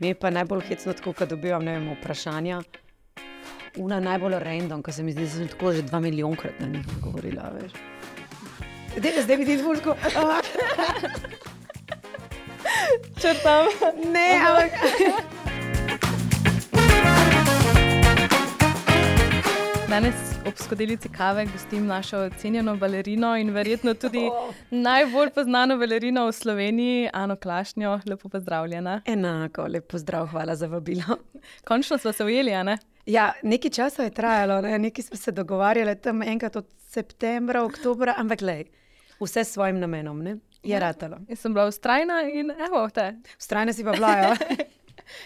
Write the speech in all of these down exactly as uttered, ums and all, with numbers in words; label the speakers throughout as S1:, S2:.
S1: Mi je pa najbolj hecno tako, ko dobivam, ne vem, vprašanja. Una najbolj random, ko se mi zdi, da sem tako že dva milijonkrat na njih govorila, veš. Zdaj, zdaj bi ti zvolko.
S2: Črtam.
S1: Ne, ampak...
S2: Danes ob skodelici kave gostim našo cenjeno balerino in verjetno tudi najbolj poznano balerino v Sloveniji, Ano Klašnjo. Lepo pozdravljena.
S1: Enako, lep pozdrav, hvala za vabilo.
S2: Končno smo se ujeli, a ne?
S1: Ja, nekaj časa je trajalo, ne? Nekaj smo se dogovarjali tam enkrat od septembra, oktobra, ampak glej, vse s svojim namenom, ne? Je ratalo.
S2: Jaz sem bila vztrajna in evo te.
S1: Vztrajna si pa bila, ja.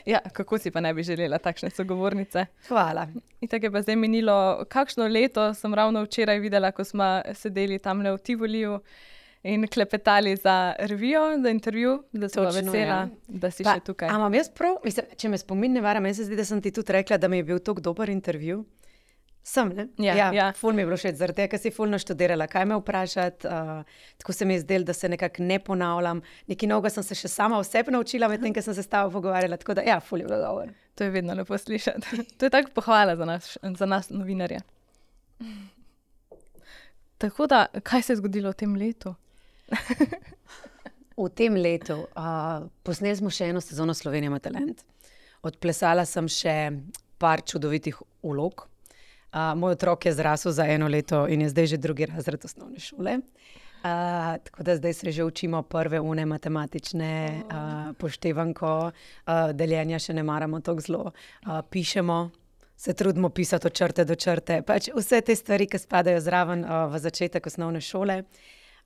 S2: Ja, kako si pa ne bi želela takšne sogovornice?
S1: Hvala.
S2: In tako je pa zdaj minilo kakšno leto, sem ravno včeraj videla, ko smo sedeli tamle v Tivoliju in klepetali za revijo, za intervju, da sem
S1: Točno,
S2: vesela,
S1: ja.
S2: da si
S1: Pa,
S2: še tukaj.
S1: a imam jaz prav, mislim, če me spomin ne vara, meni se zdi, da sem ti tudi rekla, da mi je bil tako dober intervju. Sem, ne?
S2: Ja, ja.
S1: Ful mi je bilo všeč, zaradi tega, ker si ful naštudirala, kaj me vprašati, uh, tako se mi je zdelo, da se nekako ne ponavljam. Nekaj novega sem se še sama o sebi naučila, medtem, ker sem se s tabo pogovarjala, tako da ja, ful je bilo dobro.
S2: To je vedno lepo slišati. To je tako pohvala za nas, za nas novinarje. Tako da, kaj se je zgodilo v tem letu?
S1: V tem letu uh, posneli smo še eno sezono Slovenija ima talent. Odplesala sem še par čudovitih vlog. Uh, moj otrok je zrasel za eno leto in je zdaj že drugi razred osnovne šole. Uh, tako da zdaj se že učimo prve une matematične, uh, poštevanko, uh, deljenja še ne maramo tako zelo. Uh, pišemo, se trudimo pisati od črte do črte. Pač vse te stvari, ki spadajo zraven uh, v začetek osnovne šole.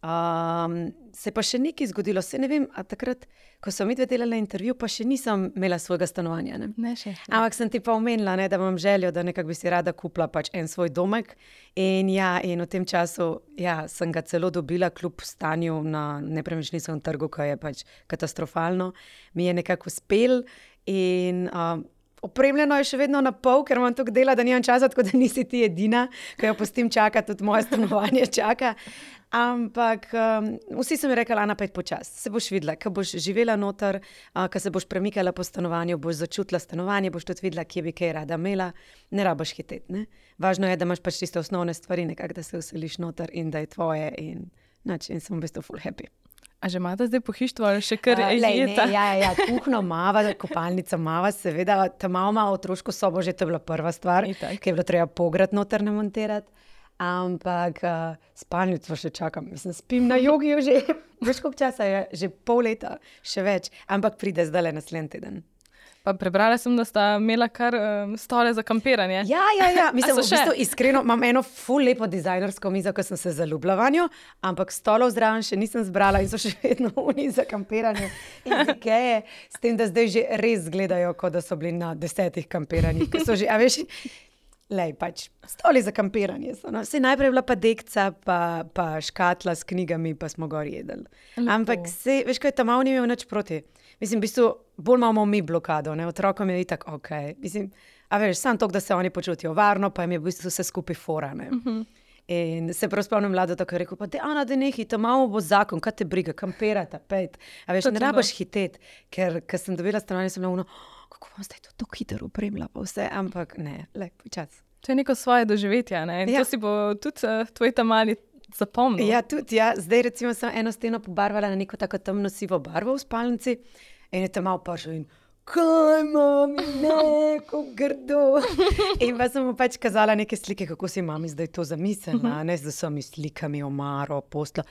S1: Um, se pa še nekaj zgodilo, se ne vem, a takrat, ko sem midve delala intervju, pa še nisem imela svojega stanovanja. Ne?
S2: Ne še.
S1: Ampak sem ti pa omenila, ne, da imam željo, da nekako bi si rada kupila pač en svoj domek. In ja, in v tem času ja, sem ga celo dobila, kljub stanju na nepremičninskem trgu, ki je pač katastrofalno. Mi je nekako uspel in um, opremljeno je še vedno na pol, ker imam toliko dela, da nimam časa, tako da nisi ti edina, ko jo pustim čakati, tudi moje stanovanje čaka. Ampak um, vsi so mi rekli, Ana, pojdi počasi, se boš videla, ko boš živela noter, uh, ko se boš premikala po stanovanju, boš začutila stanovanje, boš tudi videla, kje bi kaj rada imela, ne rabiš hiteti, ne? Važno je, da imaš pač tiste osnovne stvari, nekako, da se vseliš noter in da je tvoje in, nač, in sem v bistvu full happy.
S2: A že imate zdaj pohištvo ali še kar
S1: Uh, lej, ne,
S2: jeta?
S1: ja, ja, kuhno mava, kopalnica mava, seveda, ta malo ima otroško sobo, že to je bila prva stvar,
S2: Itak.
S1: ki je bilo treba pograd noter namontirati. Ampak uh, spalnico še čakam, mislim, spim na jogiju že, veš koliko časa je, že pol leta, še več, ampak pride zdajle naslednji teden.
S2: Pa prebrala sem, da sta imela kar um, stole za kampiranje.
S1: Ja, ja, ja, mislim,
S2: so
S1: v
S2: še?
S1: bistvu iskreno, imam eno ful lepo dizajnersko mizo, ko sem se zaljubila vanjo, ampak stolov zraven še nisem zbrala in so še vedno oni za kampiranje in Ikeje, s tem, da zdaj že res izgledajo, kot da so bili na desetih kampiranjih, ko so že, a veš, lej, pač, stoli za kampiranje so, no. Saj najprej je bila pa dekca, pa, pa škatla s knjigami, pa smo gor jedli.
S2: Lepo.
S1: Ampak se, veš, kaj ta mal ni imel nič proti. Mislim, v bistvu, bolj imamo mi blokado, ne, otrokom je itak ok. Mislim, a veš, samo to, da se oni počutijo varno, pa jim je v bistvu vse skupaj fora, ne.
S2: Uh-huh.
S1: In se prav spomnim mlado, tako je rekel, pa te, Ana, da nehi, ta malo bo zakon, kaj te briga, kampirata, pejt. A veš,
S2: Točno
S1: ne
S2: to.
S1: rabiš hiteti, ker, ker sem dobila stanovanje, sem bila ono, kako bom zdaj to tako hitro opremila, pa vse, ampak ne, lej, počas.
S2: To je neko svoje doživetje, ne? In
S1: Ja.
S2: to si bo tudi uh, tvoj ta mali zapomnil.
S1: Ja, tudi, ja, zdaj recimo sem eno steno pobarvala na neko tako temno sivo barvo v spalnici in je tam malo prišel in kaj mami, ne, kako grdo. In pa sem mu pač kazala neke slike, kako si mami zdaj to zamislila, ne, z vsemi slikami, omaro, posla.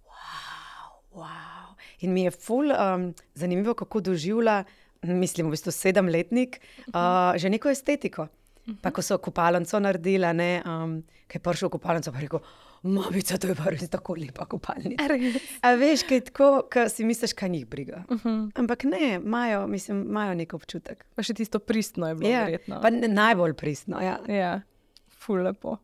S1: Wow, wow. In mi je ful um, zanimivo, kako doživlja, mislim, v bistvu sedemletnik, uh, že neko estetiko. Pa ko so kopalnico naredila, ne, um, ki je prišel v kopalnico, pa je rekel, mamica, to je pa res tako lepa kopalnica. A veš, kaj je tako, ko si misliš, kaj njih briga.
S2: Uh-huh.
S1: Ampak ne, imajo, mislim, imajo nek občutek.
S2: Pa še tisto pristno je bilo
S1: Ja,
S2: verjetno.
S1: pa ne, najbolj pristno, ja.
S2: Ja, ful lepo.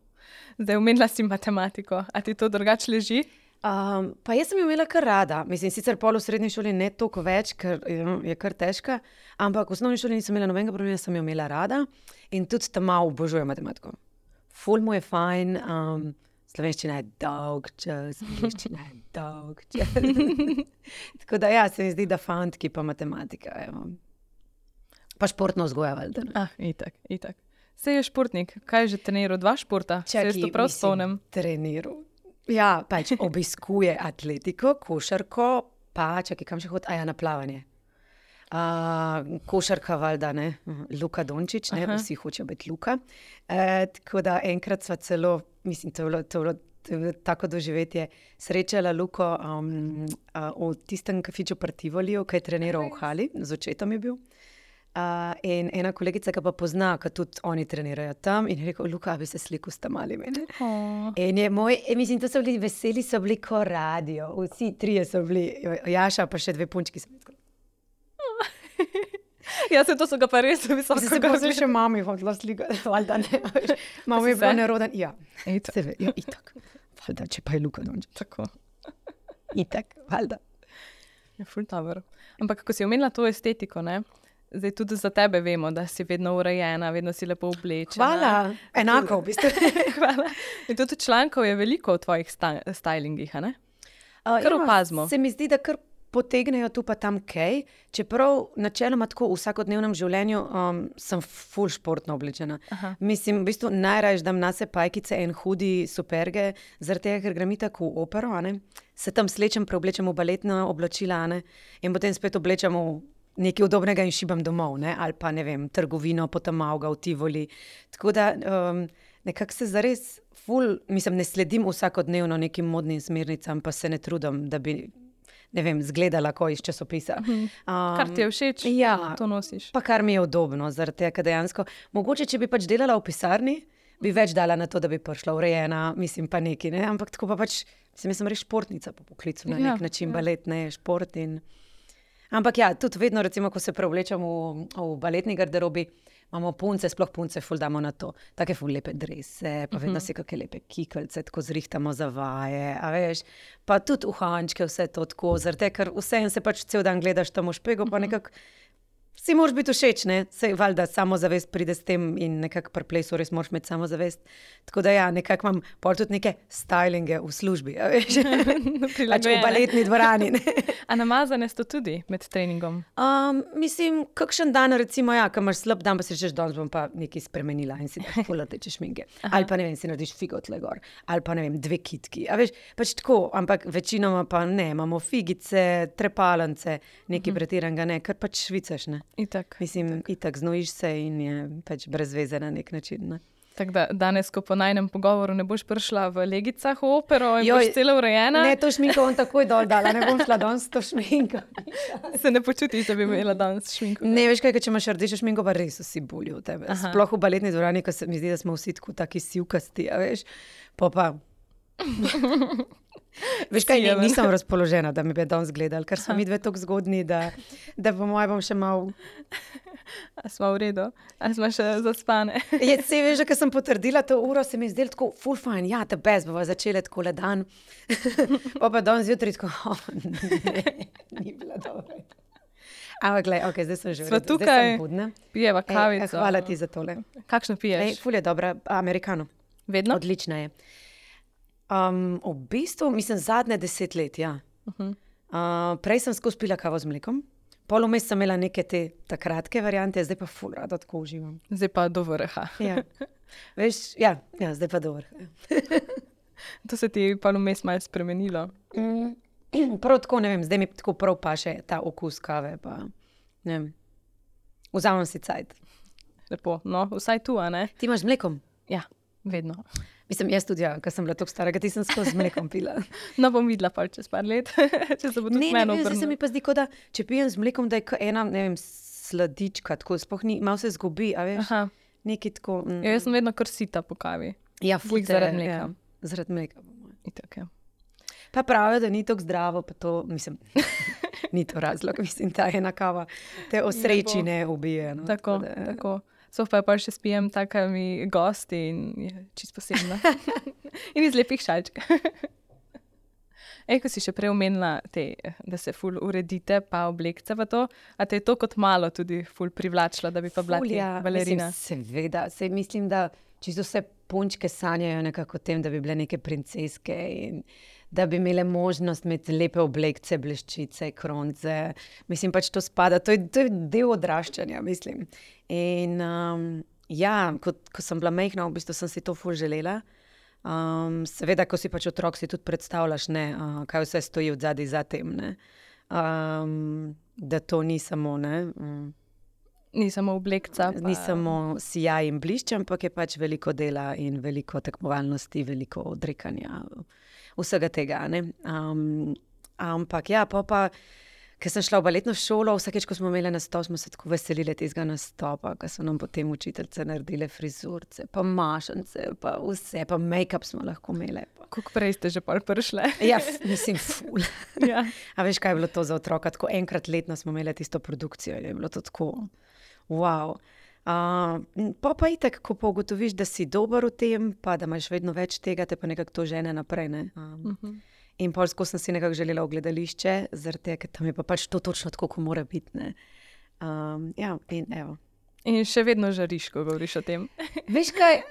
S2: Zdaj omenila si matematiko. A ti to drugače leži?
S1: Um, pa jaz sem jo imela kar rada. Mislim, sicer pol v srednji šoli ne toliko več, ker je, je kar težka, ampak v osnovni šoli nisem imela nobenega problema, sem jo imela rada in tudi tam malo obožujem matematiko. Ful mu je fajn, um, slovenščina je dolg čas, angleščina je dolg čas. Tako da ja, se mi zdi, da fantki pa matematika, evo. Pa športno vzgoja, valjda.
S2: Ah, itak, itak. Sej je športnik, kaj je že treniral? Dva športa? Čaki, se to prav spomnim.
S1: Treniral. Ja, pač obiskuje atletiko, košarko, pa čakaj, kam še hod? A ja, na plavanje. Uh, košarka, valjda, ne, Luka Dončić, ne, Aha. vsi hočejo biti Luka. E, tako da enkrat sva celo, mislim, to je bilo, to je bilo, to je bilo tako doživetje, srečala Luko um, uh, v tistem kafiču pri Tivoliju, ki je treniral v hali, z očetom je bil. Uh, in ena kolegica, ki pa pozna, ki tudi oni trenirajo tam, in je rekel, Luka, bi se slikal s tam ali mene. Oh. In je moj, mislim, to so bili veseli, so bili ko radio, vsi trije so bili, Jaša pa še dve punčki so bili.
S2: Ja, se to so ga pa res visoko.
S1: Se pa se še mami hodila slikati, valjda ne. Mama je bila neroden. Ja, sebe, ja, itak. Valjda, če pa je Luka Dončić.
S2: Tako.
S1: Itak, valjda.
S2: Je ful dobro. Ampak, ko si omenila to estetiko, ne, zdaj tudi za tebe vemo, da si vedno urejena, vedno si lepo oblečena.
S1: Hvala, enako v bistvu.
S2: Hvala. In tudi člankov je veliko v tvojih sta- stylingih, a ne? Uh, kar opazimo.
S1: Se mi zdi, da kar potegnejo tu pa tam kaj, čeprav načeloma tako v vsakodnevnem življenju um, sem ful športno oblečena. Aha. Mislim, v bistvu najraje dam nase pajkice in hudi superge, zaradi tega, ker grem tako v opero, a ne? Se tam slečem, preoblečem v baletna oblačila, a ne? In potem spet oblečem v nekaj udobnega in šibam domov, ne? Ali pa, ne vem, trgovino, potem Mauga v Tivoli. Tako da um, nekako se zares ful, mislim, ne sledim vsakodnevno nekim modnim smernicam, pa se ne trudim, da bi ne vem, zgledala ko iz časopisa.
S2: Um, kar ti je všeč,
S1: ja,
S2: to nosiš.
S1: Pa kar mi je udobno, zaradi tega, dejansko, mogoče, če bi pač delala v pisarni, bi več dala na to, da bi prišla urejena, mislim pa neki, ne, ampak tako pa pač, mislim, jaz sem res športnica po poklicu, na nek ja, način, ja. Balet, ne, šport in... Ampak ja, tudi vedno, recimo, ko se preoblečam v, v baletni garderobi, imamo punce, sploh punce, ful damo na to. Take ful lepe drese, pa vedno uh-huh. si kakšne lepe kikelce, tako zrihtamo za vaje, a veš, pa tudi uhančke, vse to tako, zaradi, ker vseeno se pač cel dan gledaš tam v špego, pa nekako si moraš biti všeč, ne, sej valjda samozavest pride s tem in nekako pri plesu res moraš imeti samozavest. Tako da ja, nekako imam pol tudi neke stylinge v službi, a veš, pač v baletni dvorani, ne.
S2: A namazane sto tudi med treningom?
S1: Um, mislim, kakšen dan, recimo, ja, ko imaš slab dan, pa si rečeš, danes bom pa nekaj spremenila in si daš ful rdeče šminke. Ali pa, ne vem, si narediš figo tle gor. Ali pa, ne vem, dve kitki. A veš, pač tako, ampak večinoma pa ne, imamo figice, trepalence, nekaj uh-huh. pretiranega, ne, kar pač švicaš, ne.
S2: Itak.
S1: Mislim, itak. itak znojiš se in je pač brez veze na nek način, ne.
S2: Tako da danes, ko po najnem pogovoru ne boš prišla v legicah v opero in Joj, boš celo urejena.
S1: Ne, to šminko bom takoj dol dala, ne bom šla danes to šminko.
S2: Se ne počutiš, da bi imela danes šminko?
S1: Ne, veš kaj, če imaš rdečo šminko, pa res vsi bulijo v tebe. Aha. Sploh v baletni dvorani, ko se mi zdi, da smo vsi tako taki sivkasti, a veš, pa pa... Veš kaj, ne, nisem razpoložena, da mi bi danes gledali, ker so mi dve tako zgodni, da, da po moje bom še mal...
S2: A smo v redu? A smo še zaspane?
S1: Je, se veš, da sem potrdila to uro, se mi je zdelo tako full fine, ja, te best, bova začela tako le dan. Pa pa danes zjutraj tako, oh, ne, ni bila dobra. Ampak glej, ok, zdaj sem že v redu,
S2: tukaj,
S1: zdaj sem budna.
S2: Pijeva kavico.
S1: Ej, hvala ti za tole.
S2: Kakšno piješ?
S1: Ej, ful je dobra, americano.
S2: Vedno?
S1: Odlična je. Um, v bistvu, mislim, zadnje deset let, ja. Uh-huh. Uh, prej sem skozi pila kavo z mlekom, pol vmes sem imela neke te kratke variante, zdaj pa ful rada tako uživam.
S2: Zdaj pa do vrha.
S1: Ja, veš, ja, ja, zdaj pa do vrha.
S2: To se ti pa vmes malo spremenilo?
S1: Mm, prav tako, ne vem, zdaj mi tako prav paše ta okus kave, pa ne vem, vzamem si cajt.
S2: Lepo, no, vsaj tu, a ne?
S1: Ti imaš z mlekom?
S2: Ja, vedno.
S1: Mislim, jaz tudi, ja, ker sem bila tako stara, ti sem skozi z mlekom pila.
S2: No, bom videla pa čez par let, če se bo tudi meni obrnilo.
S1: Ne, ne, se mi pa zdi, da če pijem z mlekom, da je ena, ne vem, sladička, tako sploh ni, malo se zgubi, a veš, Aha. Nekaj tako... Mm.
S2: Ja, jaz sem vedno kar sita po kavi.
S1: Ja, fujte.
S2: Zaradi mleka.
S1: Ja, zaradi mleka.
S2: Itak, ja.
S1: Pa pravijo, da ni tako zdravo, pa to, mislim, ni to razlog, mislim, ta ena kava te osreči ne ubije. No,
S2: tako, tako. Da, tako. So pa pa še spijem takimi gosti in je čisto posebno. In iz lepih šalčk. Ej, ko si še prej omenila, te, da se ful uredite, pa oblekce pa to, a te je to kot malo tudi ful privlačilo, da bi pa bila ti balerina?
S1: Mislim, seveda, se mislim, da čisto vse punčke sanjajo nekako o tem, da bi bile neke princeske in da bi imele možnost imeti lepe oblekce, bleščice, kronce. Mislim, pač to spada, to je, to je del odraščanja, mislim. In um, ja, ko, ko sem bila majhna, v bistvu sem si to ful želela. Um, seveda, ko si pač otrok, si tudi predstavljaš, ne, uh, kaj vse stoji od zadaj za tem, ne. Um, da to ni samo, ne, um,
S2: Ni samo oblekca.
S1: ni samo sijaj in blišč, ampak je pač veliko dela in veliko tekmovalnosti, veliko odrekanja, vsega tega, ne. Um, ampak ja, pa pa, ker sem šla v baletno šolo, vsakeč, ko smo imeli nastop, smo se tako veselili tistega nastopa, ko so nam potem učiteljice naredile frizurce, pa mašance, pa vse, pa make-up smo lahko imeli.
S2: Koliko prej ste že pol prišle?
S1: Ja, f- mislim, ful.
S2: Ja.
S1: A veš, kaj je bilo to za otroka? Tako enkrat letno smo imeli tisto produkcijo in je bilo to tako, wow. Uh, pa pa itak, ko pa ugotoviš, da si dober v tem, pa da imaš vedno več tega, te pa nekako to žene naprej, ne. Um,
S2: Mhm.
S1: In pol skozi sem si nekako želela v gledališče, zaradi tega, ker tam je pa pač to točno tako, kot mora biti, ne. Um, ja, in evo.
S2: In še vedno žariš, ko govoriš o tem.
S1: Veš kaj?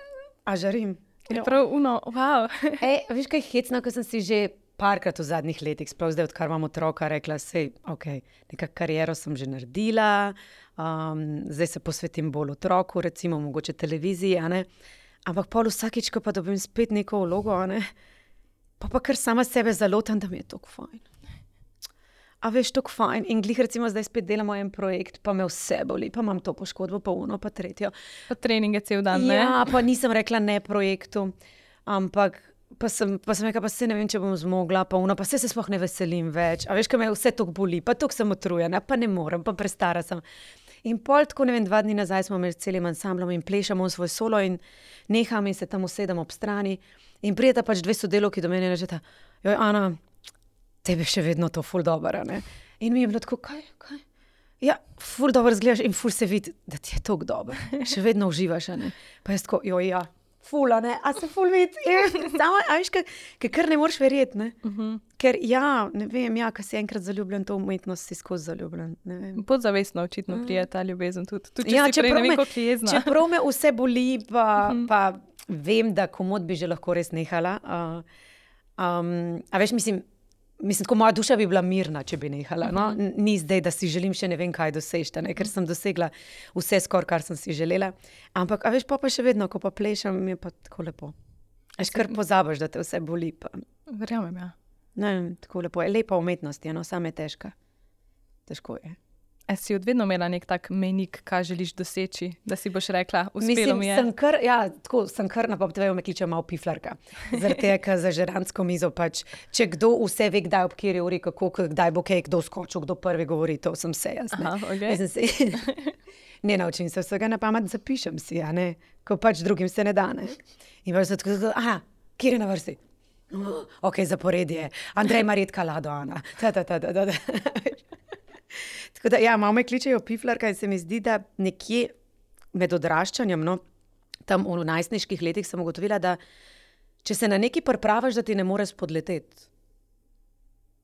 S1: A žarim?
S2: Je prav uno, wow.
S1: Ej, veš kaj je hecno, ko sem si že parkrat v zadnjih letih, sploh zdaj, odkar imam otroka, rekla, sej, ok, neka kariero sem že naredila, um, zdaj se posvetim bolj otroku, recimo mogoče televiziji, a ne. Ampak pol vsakič, ko pa dobim spet neko vlogo, a ne, pa pa kar sama sebe zalotam, da mi je toliko fajn. A veš, toliko fajn. In glih recimo zdaj spet delamo en projekt, pa me vse boli, pa imam to poškodbo, pa uno, pa tretjo.
S2: Pa treninge cel dan, ne?
S1: Ja, pa nisem rekla ne projektu, ampak pa sem, pa sem rekla, pa se ne vem, če bom zmogla, pa uno, pa se se sploh ne veselim več. A veš, kaj me vse toliko boli, pa toliko sem utrujena, pa ne morem, pa prestara sem. In pol tako, ne vem, dva dni nazaj smo imeli s celim ansamblom in plešamo svoj solo in neham in se tam usedem ob strani in prijeta pač dve sodelavki do mene in rečeta, joj, Ana, tebi še vedno to ful dobro, ne. In mi je bilo tako, kaj, kaj? Ja, ful dobro izgledaš in ful se vidi, da ti je toliko dobro. Še vedno uživaš, a ne. Pa jaz tako, joj, ja, ful, a ne, a se ful vidi. Samo, a veš, kaj, kaj kar ne moreš verjeti, ne.
S2: Mhm.
S1: Ker ja, ne vem, ja, ko si enkrat zaljubljen, to umetnost si skozi zaljubljen, ne vem.
S2: Podzavestno očitno prije ta ljubezen tudi. Tudi če
S1: Ja,
S2: si prej
S1: čeprav
S2: ne vem,
S1: me-
S2: koliko jezna.
S1: Čeprav me vse boli, pa, pa vem, da komot bi že lahko res nehala. Uh, um, a veš, mislim, mislim, tako moja duša bi bila mirna, če bi nehala. No? N- Ni zdaj, da si želim še ne vem kaj doseči, ne? Ker sem dosegla vse skoraj, kar sem si želela. Ampak, a veš, pa, pa še vedno, ko pa plešem, mi je pa tako lepo. Až kar pozabiš, da te vse boli. Pa.
S2: Verjamem, ja.
S1: Ne vem, tako lepo je. Lepa umetnost je, no, sama je težka. Težko je.
S2: A si od vedno imela nek tak mejnik, kaj želiš doseči, da si boš rekla, uspelo
S1: Mislim,
S2: mi je.
S1: sem kar, ja, tako, sem kar na popteveju me kliče malo piflarka. Zaradi tega, ker za žerantsko mizo pač, če kdo vse ve, kdaj ob kateri uri, kako, kdaj bo kaj, kdo skočil, kdo prvi govori, to sem vse jaz. Ne.
S2: Aha, okej.
S1: Mislim, se, ne naučim se vsega na pamet, zapišem si, a ne, ko pač drugim se ne da, ne. In pač se tako, tako, aha, kjer je na vrsti? Ok, zaporedje, Andrej, Marjetka, Lado, Ana, ta, ta, ta, ta, ta, ta. Tako da, ja, malo me kličejo piflarka in se mi zdi, da nekje med odraščanjem, no, tam v najstniških letih sem ugotovila, da če se na nekaj pripraviš, da ti ne moreš spodleteti.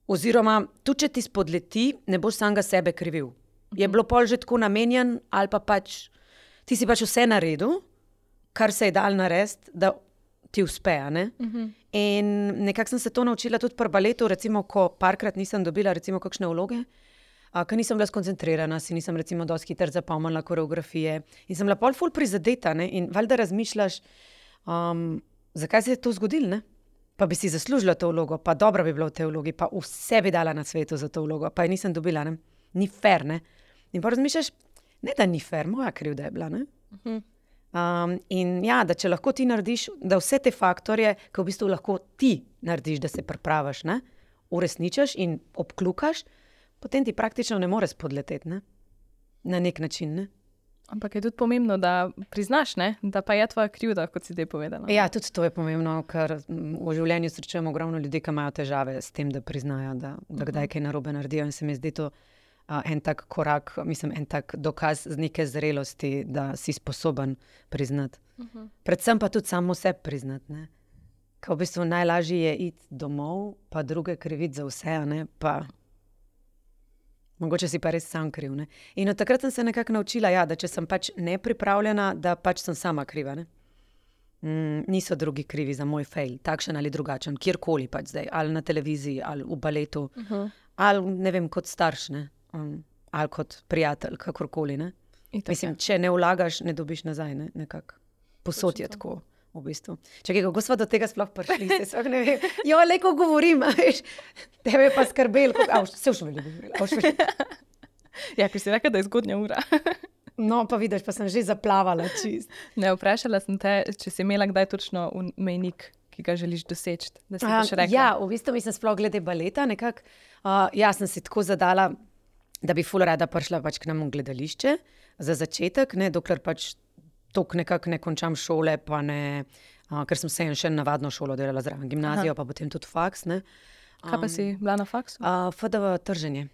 S1: Oziroma, tudi če ti spodleti, ne boš samega sebe krivil. Je bilo pol že tako namenjen, ali pa pač ti si pač vse naredil, kar se je dal narediti, da ti uspe, a ne. In nekako sem se to naučila tudi pri baletu, recimo, ko parkrat nisem dobila recimo kakšne vloge, a, ker nisem bila skoncentrirana, si nisem recimo dosti hitro zapomnila koreografije in sem bila pol ful prizadeta, ne, in valjda razmišljaš, um, zakaj se je to zgodilo, ne? Pa bi si zaslužila to vlogo, pa dobra bi bila v tej vlogi, pa vse bi dala na svetu za to vlogo, pa je nisem dobila, ne. Ni fair, ne. In pa razmišljaš, ne da ni fair, moja krivda je bila, ne. Um, in ja, da če lahko ti narediš, da vse te faktorje, ki v bistvu lahko ti narediš, da se pripraviš, ne, uresničiš in obklukaš, potem ti praktično ne moreš spodleteti, ne, na nek način, ne.
S2: Ampak je tudi pomembno, da priznaš, ne? Da pa je tvoja krivda, kot si zdaj povedala.
S1: Ja, tudi to je pomembno, ker mm, v življenju srečujemo ogromno ljudi, ki imajo težave s tem, da priznajo, da, da kdaj kaj narobe naredijo in se mi zdi to a, en tak korak, mislim, en tak dokaz z neke zrelosti, da si sposoben priznati. Predvsem pa tudi samo sebi priznati, ne. Ker v bistvu najlažje je iti domov, pa druge kriviti za vse, a ne, pa mogoče si pa res sam kriv, ne. In od takrat sem se nekako naučila, ja, da če sem pač nepripravljena, da pač sem sama kriva, ne. mm, niso drugi krivi za moj fail, takšen ali drugačen, kjerkoli pač zdaj, ali na televiziji, ali v baletu, uh -huh. ali ne vem, kot starš, ne, um, ali kot prijatelj, kakorkoli, ne. Mislim, če ne vlagaš, ne dobiš nazaj, ne, nekako. Posod je tako, v bistvu. Čakaj, kako smo do tega sploh prišli, se sploh ne vem. Jo, lejko govorim, veš, tebe pa skrbel, kako, se už veliko govorila,
S2: Ja, ker si rekla, da je zgodnja ura.
S1: No, pa vidiš, pa sem že zaplavala čist.
S2: Ne, vprašala sem te, če si imela kdaj točno mejnik, ki ga želiš doseči, da si boš rekla.
S1: Ja, v bistvu mislim sploh glede baleta nekako. Uh, jaz sem si tako zadala, da bi ful rada prišla pač k nam v gledališče za začetek, ne, dokler pač tok nekako ne končam šole, pa ne, uh, ker sem se še navadno šolo delala zraven gimnazijo, Aha. pa potem tudi faks, ne.
S2: Um, Kaj pa si bila na faksu?
S1: Uh, F D V trženje.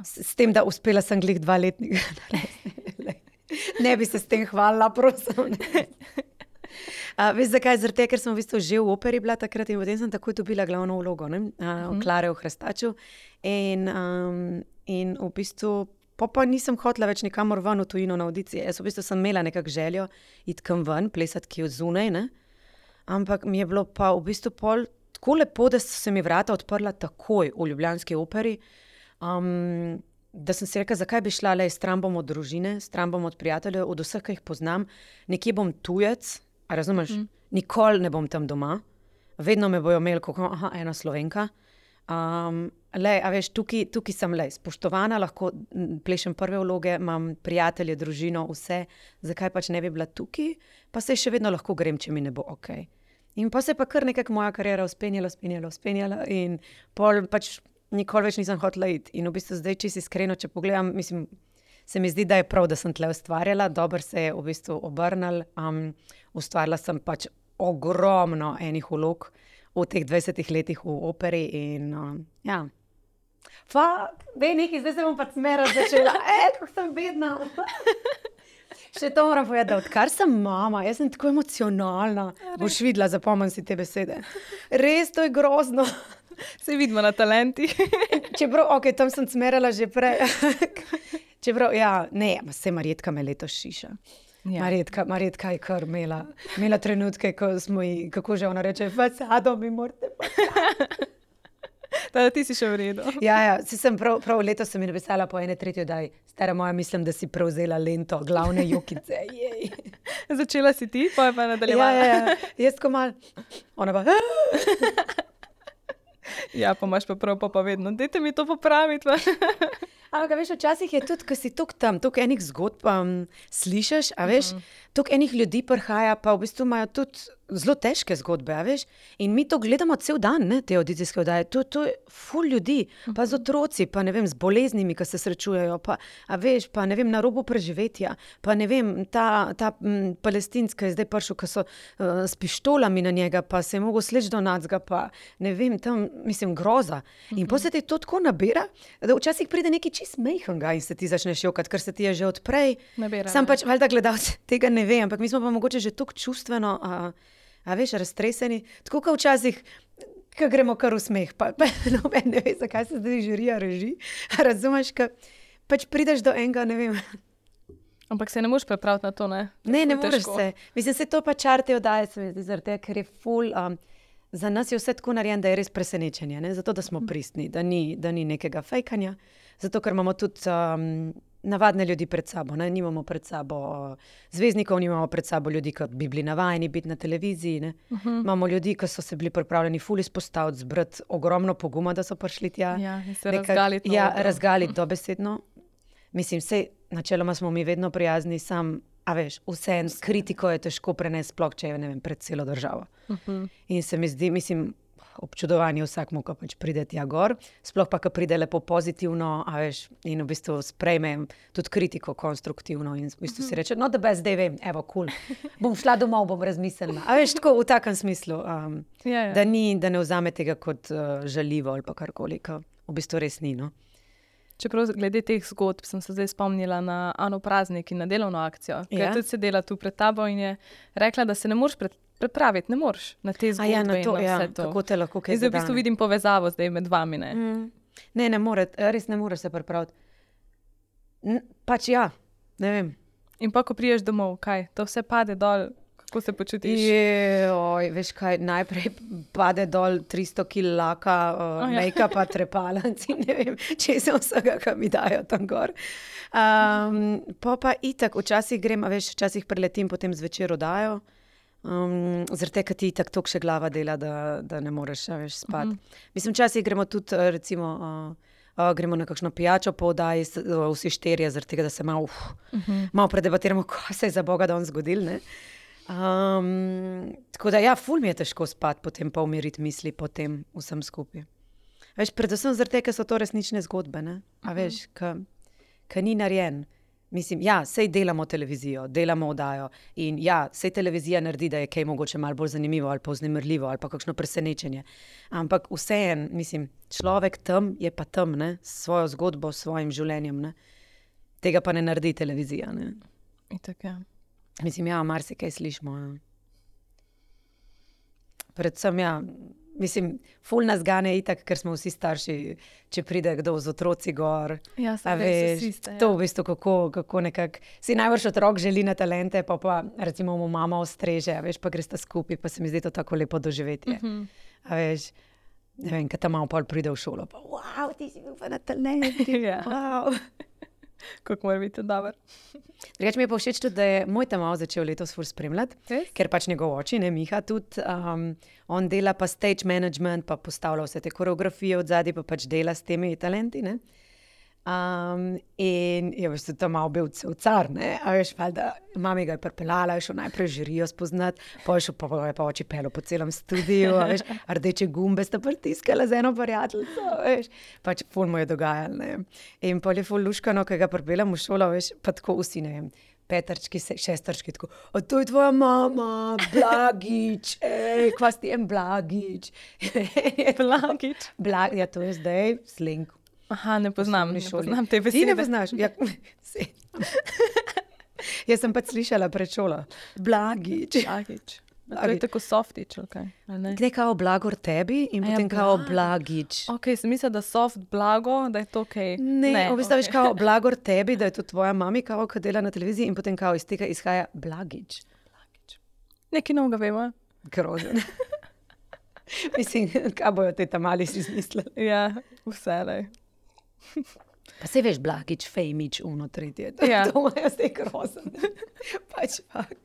S1: S, s tem, da uspela sem glih dva letnika. Ne bi se s tem hvalila, prosim. Uh, veš zakaj? Zaradi tega, ker sem v bistvu že v operi bila takrat in potem sem takoj dobila glavno vlogo, ne? Uh, Klare v Hrestaču. In, um, in v bistvu pa, pa nisem hotela več nikamor ven v tujino na audicije. Jaz v bistvu sem imela nekak željo iti kam ven, plesati kje od zunaj, ne? Ampak mi je bilo pa v bistvu pol tako lepo, da so se mi vrata odprla takoj v ljubljanski operi. Um, da sem si rekla, zakaj bi šla, le, stran bom od družine, stran bom od prijateljev, od vseh, ki jih poznam, nekje bom tujec, a razumeš, mm. nikoli ne bom tam doma, vedno me bojo imeli, kako, aha, ena Slovenka. Um, le, a veš, tukaj, tukaj sem le, spoštovana, lahko plešem prve vloge, imam prijatelje, družino, vse, zakaj pač ne bi bila tukaj, pa se še vedno lahko grem, če mi ne bo ok. In pa se je pa kar nekako moja kariera uspenjala, uspenjala, uspenjala in pol pač nikoli več nisem hotela iti. In v bistvu zdaj, če si iskreno, če pogledam, mislim, se mi zdi, da je prav, da sem tle ustvarjala, dobro se je v bistvu obrnil, um, ustvarila sem pač ogromno enih vlog v teh dvajsetih letih v operi in um, ja. Fak, dej nekaj, zdaj se bom pa smera začela, e, kako sem bedna. Še to moram povedati, da odkar sem mama, jaz sem tako emocionalna, Res. Boš videla, zapomnim si te besede. Res, to je grozno.
S2: Se vidimo na talenti.
S1: Čeprav, ok, tam sem smerala že prej. Čeprav, ja, ne, se Marjetka me letos šiša. Ja. Marjetka, Marjetka je kar imela, imela trenutke, ko smo ji, kako že ona reče, fasado mi morate pa.
S2: Da, ti si še v redu.
S1: Ja, ja, si sem prav, prav letos sem mi napisala po ene tretjo, daj, stara moja, mislim, da si prevzela lento, glavne jokice. Jej.
S2: Začela si ti, pa je pa nadaljevala.
S1: Ja, ja, ja, jaz ko mal, ona pa...
S2: Ja, pa imaš pa prav, pa, pa vedno, dajte mi to popraviti.
S1: Ampak, veš, včasih je tudi, ko si tuk tam, tuk enih zgodb um, slišaš, a veš, uh -huh. tuk enih ljudi prihaja, pa v bistvu imajo tudi zelo težke zgodbe, a veš, in mi to gledamo cel dan, ne, te audicijske oddaje, to, to je ful ljudi, pa z otroci, pa ne vem, z boleznimi, ki se srečujejo, pa, a veš, pa ne vem, na robu preživetja, pa ne vem, ta, ta m, palestinska je zdaj prišel, ki so uh, s pištolami na njega, pa se je mogel sleč do nacga, pa ne vem, tam, mislim, groza. In uh -huh. potem se ti to tako nabira, da včasih pride neki čist mejhanga in se ti začneš jokati, ker se ti je že odprej.
S2: Nabira,
S1: Sam pač, valjda gledalci tega ne ve, ampak mi smo pa mogoče že toliko čustveno, a, a veš, raztreseni, tako kot včasih, ko gremo kar v smeh, pa, pa noben ne ve, zakaj se zdaj žirija reži, razumeš, ko pač prideš do enega, ne vem.
S2: Ampak se ne moreš prepraviti na to, ne?
S1: Ne, ne moreš se. Mislim, se to pa čar te oddaje, se mi zdi, zaradi tega, ker je ful, um, za nas je vse tako narejen, da je res presenečenje, ne? Zato, da smo pristni, da ni, da ni nekega fejkanja, zato, ker imamo tudi um, navadne ljudi pred sabo, ne? Nimamo pred sabo uh, zvezdnikov, nimamo pred sabo ljudi, ki bi bili navajeni biti na televiziji, ne? Uh-huh. Imamo ljudi, ki so se bili pripravljeni ful izpostaviti, zbrati ogromno poguma, da so prišli tja.
S2: Ja, in se razgaliti.
S1: Ja, razgaliti dobesedno. Mislim, sej, načeloma smo mi vedno prijazni, sam, a veš, vse s kritiko je težko prenesti, sploh če je, ne vem, pred celo državo. Uh-huh. In se mi zdi, mislim, občudovanje vsakmu, ko pač pride tja gor, sploh pa, ko pride lepo pozitivno, a veš, in v bistvu sprejme tudi kritiko konstruktivno in v bistvu si reče, no, da bez zdaj vem, evo, kul, cool. Bom šla domov, bom razmislila. A veš, tako v takem smislu, um, ja, ja. Da, ni, da ne vzame tega kot uh, žaljivo ali pa karkoli, ko v bistvu res ni, no.
S2: Čeprav glede teh zgodb sem se zdaj spomnila na Ano Praznik in na delovno akcijo, ki ja? je tudi sedela tu pred tabo in je rekla, da se ne moreš pred prepraviti, ne moreš na te zgodbe
S1: ja, na to,
S2: in na vse
S1: ja,
S2: to.
S1: Kako te lahko kaj
S2: zdaj v bistvu vidim povezavo zdaj med vami, ne?
S1: Mm. Ne, ne more, res ne moreš se prepraviti. N- pač ja, ne vem.
S2: In pa, ko priješ domov, kaj? To vse pade dol, Kako se počutiš?
S1: Joj, veš kaj, najprej pade dol tristo kilogramov laka, uh,
S2: Oh, ja.
S1: make-upa, trepalnici, ne vem, če se vsega, kar mi dajo tam gor. Um, pa pa itak, včasih grem, a veš, včasih preletim, potem zvečer oddajo. Um, zaradi tega, ker ti itak toliko še glava dela, da, da ne moreš a veš spati.
S2: Mhm.
S1: Mislim, včasih gremo tudi, eh, recimo, uh, uh, gremo na kakšno pijačo po oddaji, s- uh, vsi štirje, zaradi tega, da se malo, uf, malo predebatiramo, kaj se je za Boga danes zgodilo, ne. Um, tako da, ja, ful mi je težko spati, potem pa umiriti misli po tem vsem skupaj. Veš, predvsem zaradi tega, ker so to resnične zgodbe, ne? A veš, ki ni narejen. Mislim, ja, sej delamo televizijo, delamo oddajo in ja, sej televizija naredi, da je kaj mogoče malo bolj zanimivo ali pa vznemirljivo ali pa kakšno presenečenje. Ampak vseeno, mislim, človek tam je pa tam, ne, s svojo zgodbo, s svojim življenjem, ne. Tega pa ne naredi televizija, ne.
S2: Itak, ja.
S1: Mislim, ja, marsikaj slišimo, ja. Predvsem, ja, mislim, ful nas gane itak, ker smo vsi starši, če pride kdo z otroci gor.
S2: Ja,
S1: A
S2: sem
S1: veš,
S2: veš,
S1: to v bistvu kako, kako nekako, si najbrž otrok želi na talente, pa pa recimo mu mama ostreže, a veš, pa gresta skupaj, pa se mi zdi to tako lepo doživetje.
S2: Mhm.
S1: A veš, ne vem, kad ta malo pol pride v šolo, pa wow, ti si bil pa na talenti,
S2: Ja.
S1: wow.
S2: Kako mora biti dobro.
S1: Drugače mi je pa všeč tudi, da je moj ta malo začel letos ful spremljati,
S2: Res?
S1: ker pač njegov oči, ne, Miha, tudi, um, on dela pa stage management, pa postavlja vse te koreografije od zadaj, pa pač dela s temi talenti, ne. Um, in je veš, tudi tam malo bil cel car, ne, a veš, valjda, mami ga je pripeljala, je šel najprej žirijo spoznati, pa je šel pa, je pa oči pelo po celem studiu, a veš, rdeče gumbe sta pritiskala z eno prijateljico, a veš, pač ful mu je dogajalo, ne. In pol je ful luškano, ko ga pripeljem v šolo, veš, pa tako vsi, ne vem, petrčki, se- šestrčki, tako, a to je tvoja mama, Blagič, ej, kva si ti en Blagič.
S2: Blagič.
S1: Blag, ja, to je zdaj sling.
S2: Aha, ne poznam, ne
S1: osnovni šoli.
S2: poznam te
S1: Ti
S2: besede.
S1: ne poznaš? Ja, saj. Jaz sem pač slišala pred šolo. Blagič.
S2: Blagič. A to je
S1: Blagič.
S2: tako softič, okay. ali ne?
S1: Gre kao blagor tebi in
S2: A ja,
S1: potem kao
S2: Blagič.
S1: blagič.
S2: Ok, sem mislila, da soft blago, da je to ok.
S1: Ne, v bistvu veš
S2: okej.
S1: kao blagor tebi, da je to tvoja mami, kao, ki dela na televiziji in potem kao iz tega izhaja blagič.
S2: Nekaj novega vemo.
S1: Grozen. Mislim, kaj bojo te tam mali si izmislili.
S2: Ja, vse le.
S1: Pa se veš, blagič, fejmič, uno, tretje. To,
S2: Ja.
S1: to imajo zdaj grozen. Pač fakt.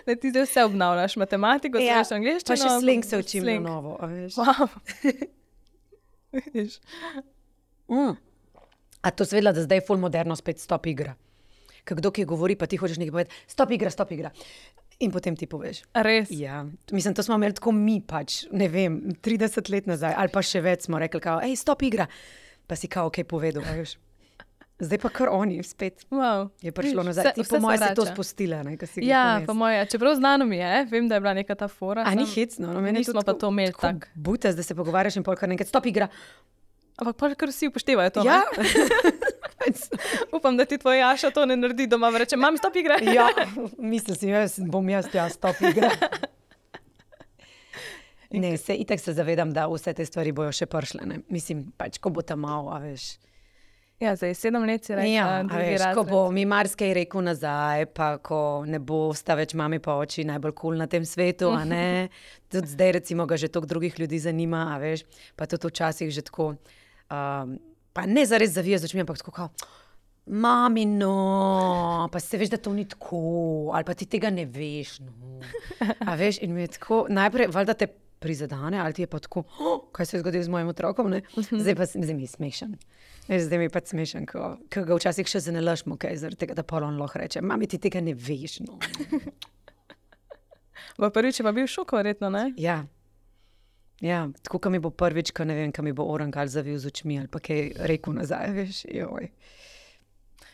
S2: Ne, ti zdaj vse obnavljaš, matematiko,
S1: Ja,
S2: znaš angliščino.
S1: pa še sling se učim
S2: sling.
S1: na novo, a veš.
S2: Wow. Vidiš?
S1: Mm. A to seveda, da zdaj je ful moderno spet stop igra. Ker kdo ki govori, pa ti hočeš nekaj povedati, stop igra, stop igra. In potem ti poveš.
S2: Res?
S1: Ja, mislim, to smo imeli tako mi pač, ne vem, trideset let nazaj, ali pa še več smo rekli, kao, ej, stop igra. Pa si kao, kaj povedal, a veš. Zdaj pa kar oni spet
S2: Wow.
S1: je prišlo
S2: Vidiš,
S1: nazaj.
S2: vse-
S1: Ti
S2: vse
S1: po
S2: se
S1: mojem si to
S2: vrača.
S1: spustila, ne, ko si ga
S2: Ja,
S1: ponesla.
S2: po moje, čeprav znano mi je, vem, da je bila neka ta fora.
S1: A ni
S2: samo
S1: hecno, no, meni je
S2: nismo pa to imeli tako.
S1: Butaz, da se pogovarjaš in pol kar nekaj, stop igra.
S2: Ampak pa kar vsi upoštevajo to.
S1: Ja.
S2: ne? Upam, da ti tvoj Jaša to ne naredi doma, reče, mam stop igre.
S1: Ja, mislil sem, jaz bom jaz ja stop igra. Ne, se itak se zavedam, da vse te stvari bojo še prišle, ne. Mislim, pač, ko bo tam malo, a veš.
S2: Ja, zdaj sedem let si rekla,
S1: Ja, a
S2: drugi
S1: veš, ko
S2: razred.
S1: bo mi marsikaj rekel nazaj, pa ko ne bo sta več mami pa oči najbolj kul cool na tem svetu, a ne. Tudi zdaj recimo ga že toliko drugih ljudi zanima, a veš, pa tudi včasih že tako, um, pa ne zares zavija z očmi, ampak tako kao, mami, no, pa se veš, da to ni tako, ali pa ti tega ne veš, no. A veš, in mi je tako, najprej, valjda te prizadene, ali ti je pa tako, oh, kaj se je zgodilo z mojim otrokom, ne? Zdaj pa zdaj mi je smešen. Veš, zdaj mi je pa smešen, ko, ko ga včasih še zanelašmo, kaj zaradi tega, da pol on lahko reče, mami, ti tega ne veš, no.
S2: V prvič je pa bil šok, verjetno, ne?
S1: Ja. Ja, tako, ko mi bo prvič, ko ne vem, ko mi bo orangal zavil z očmi, ali pa kaj rekel nazaj, veš, joj.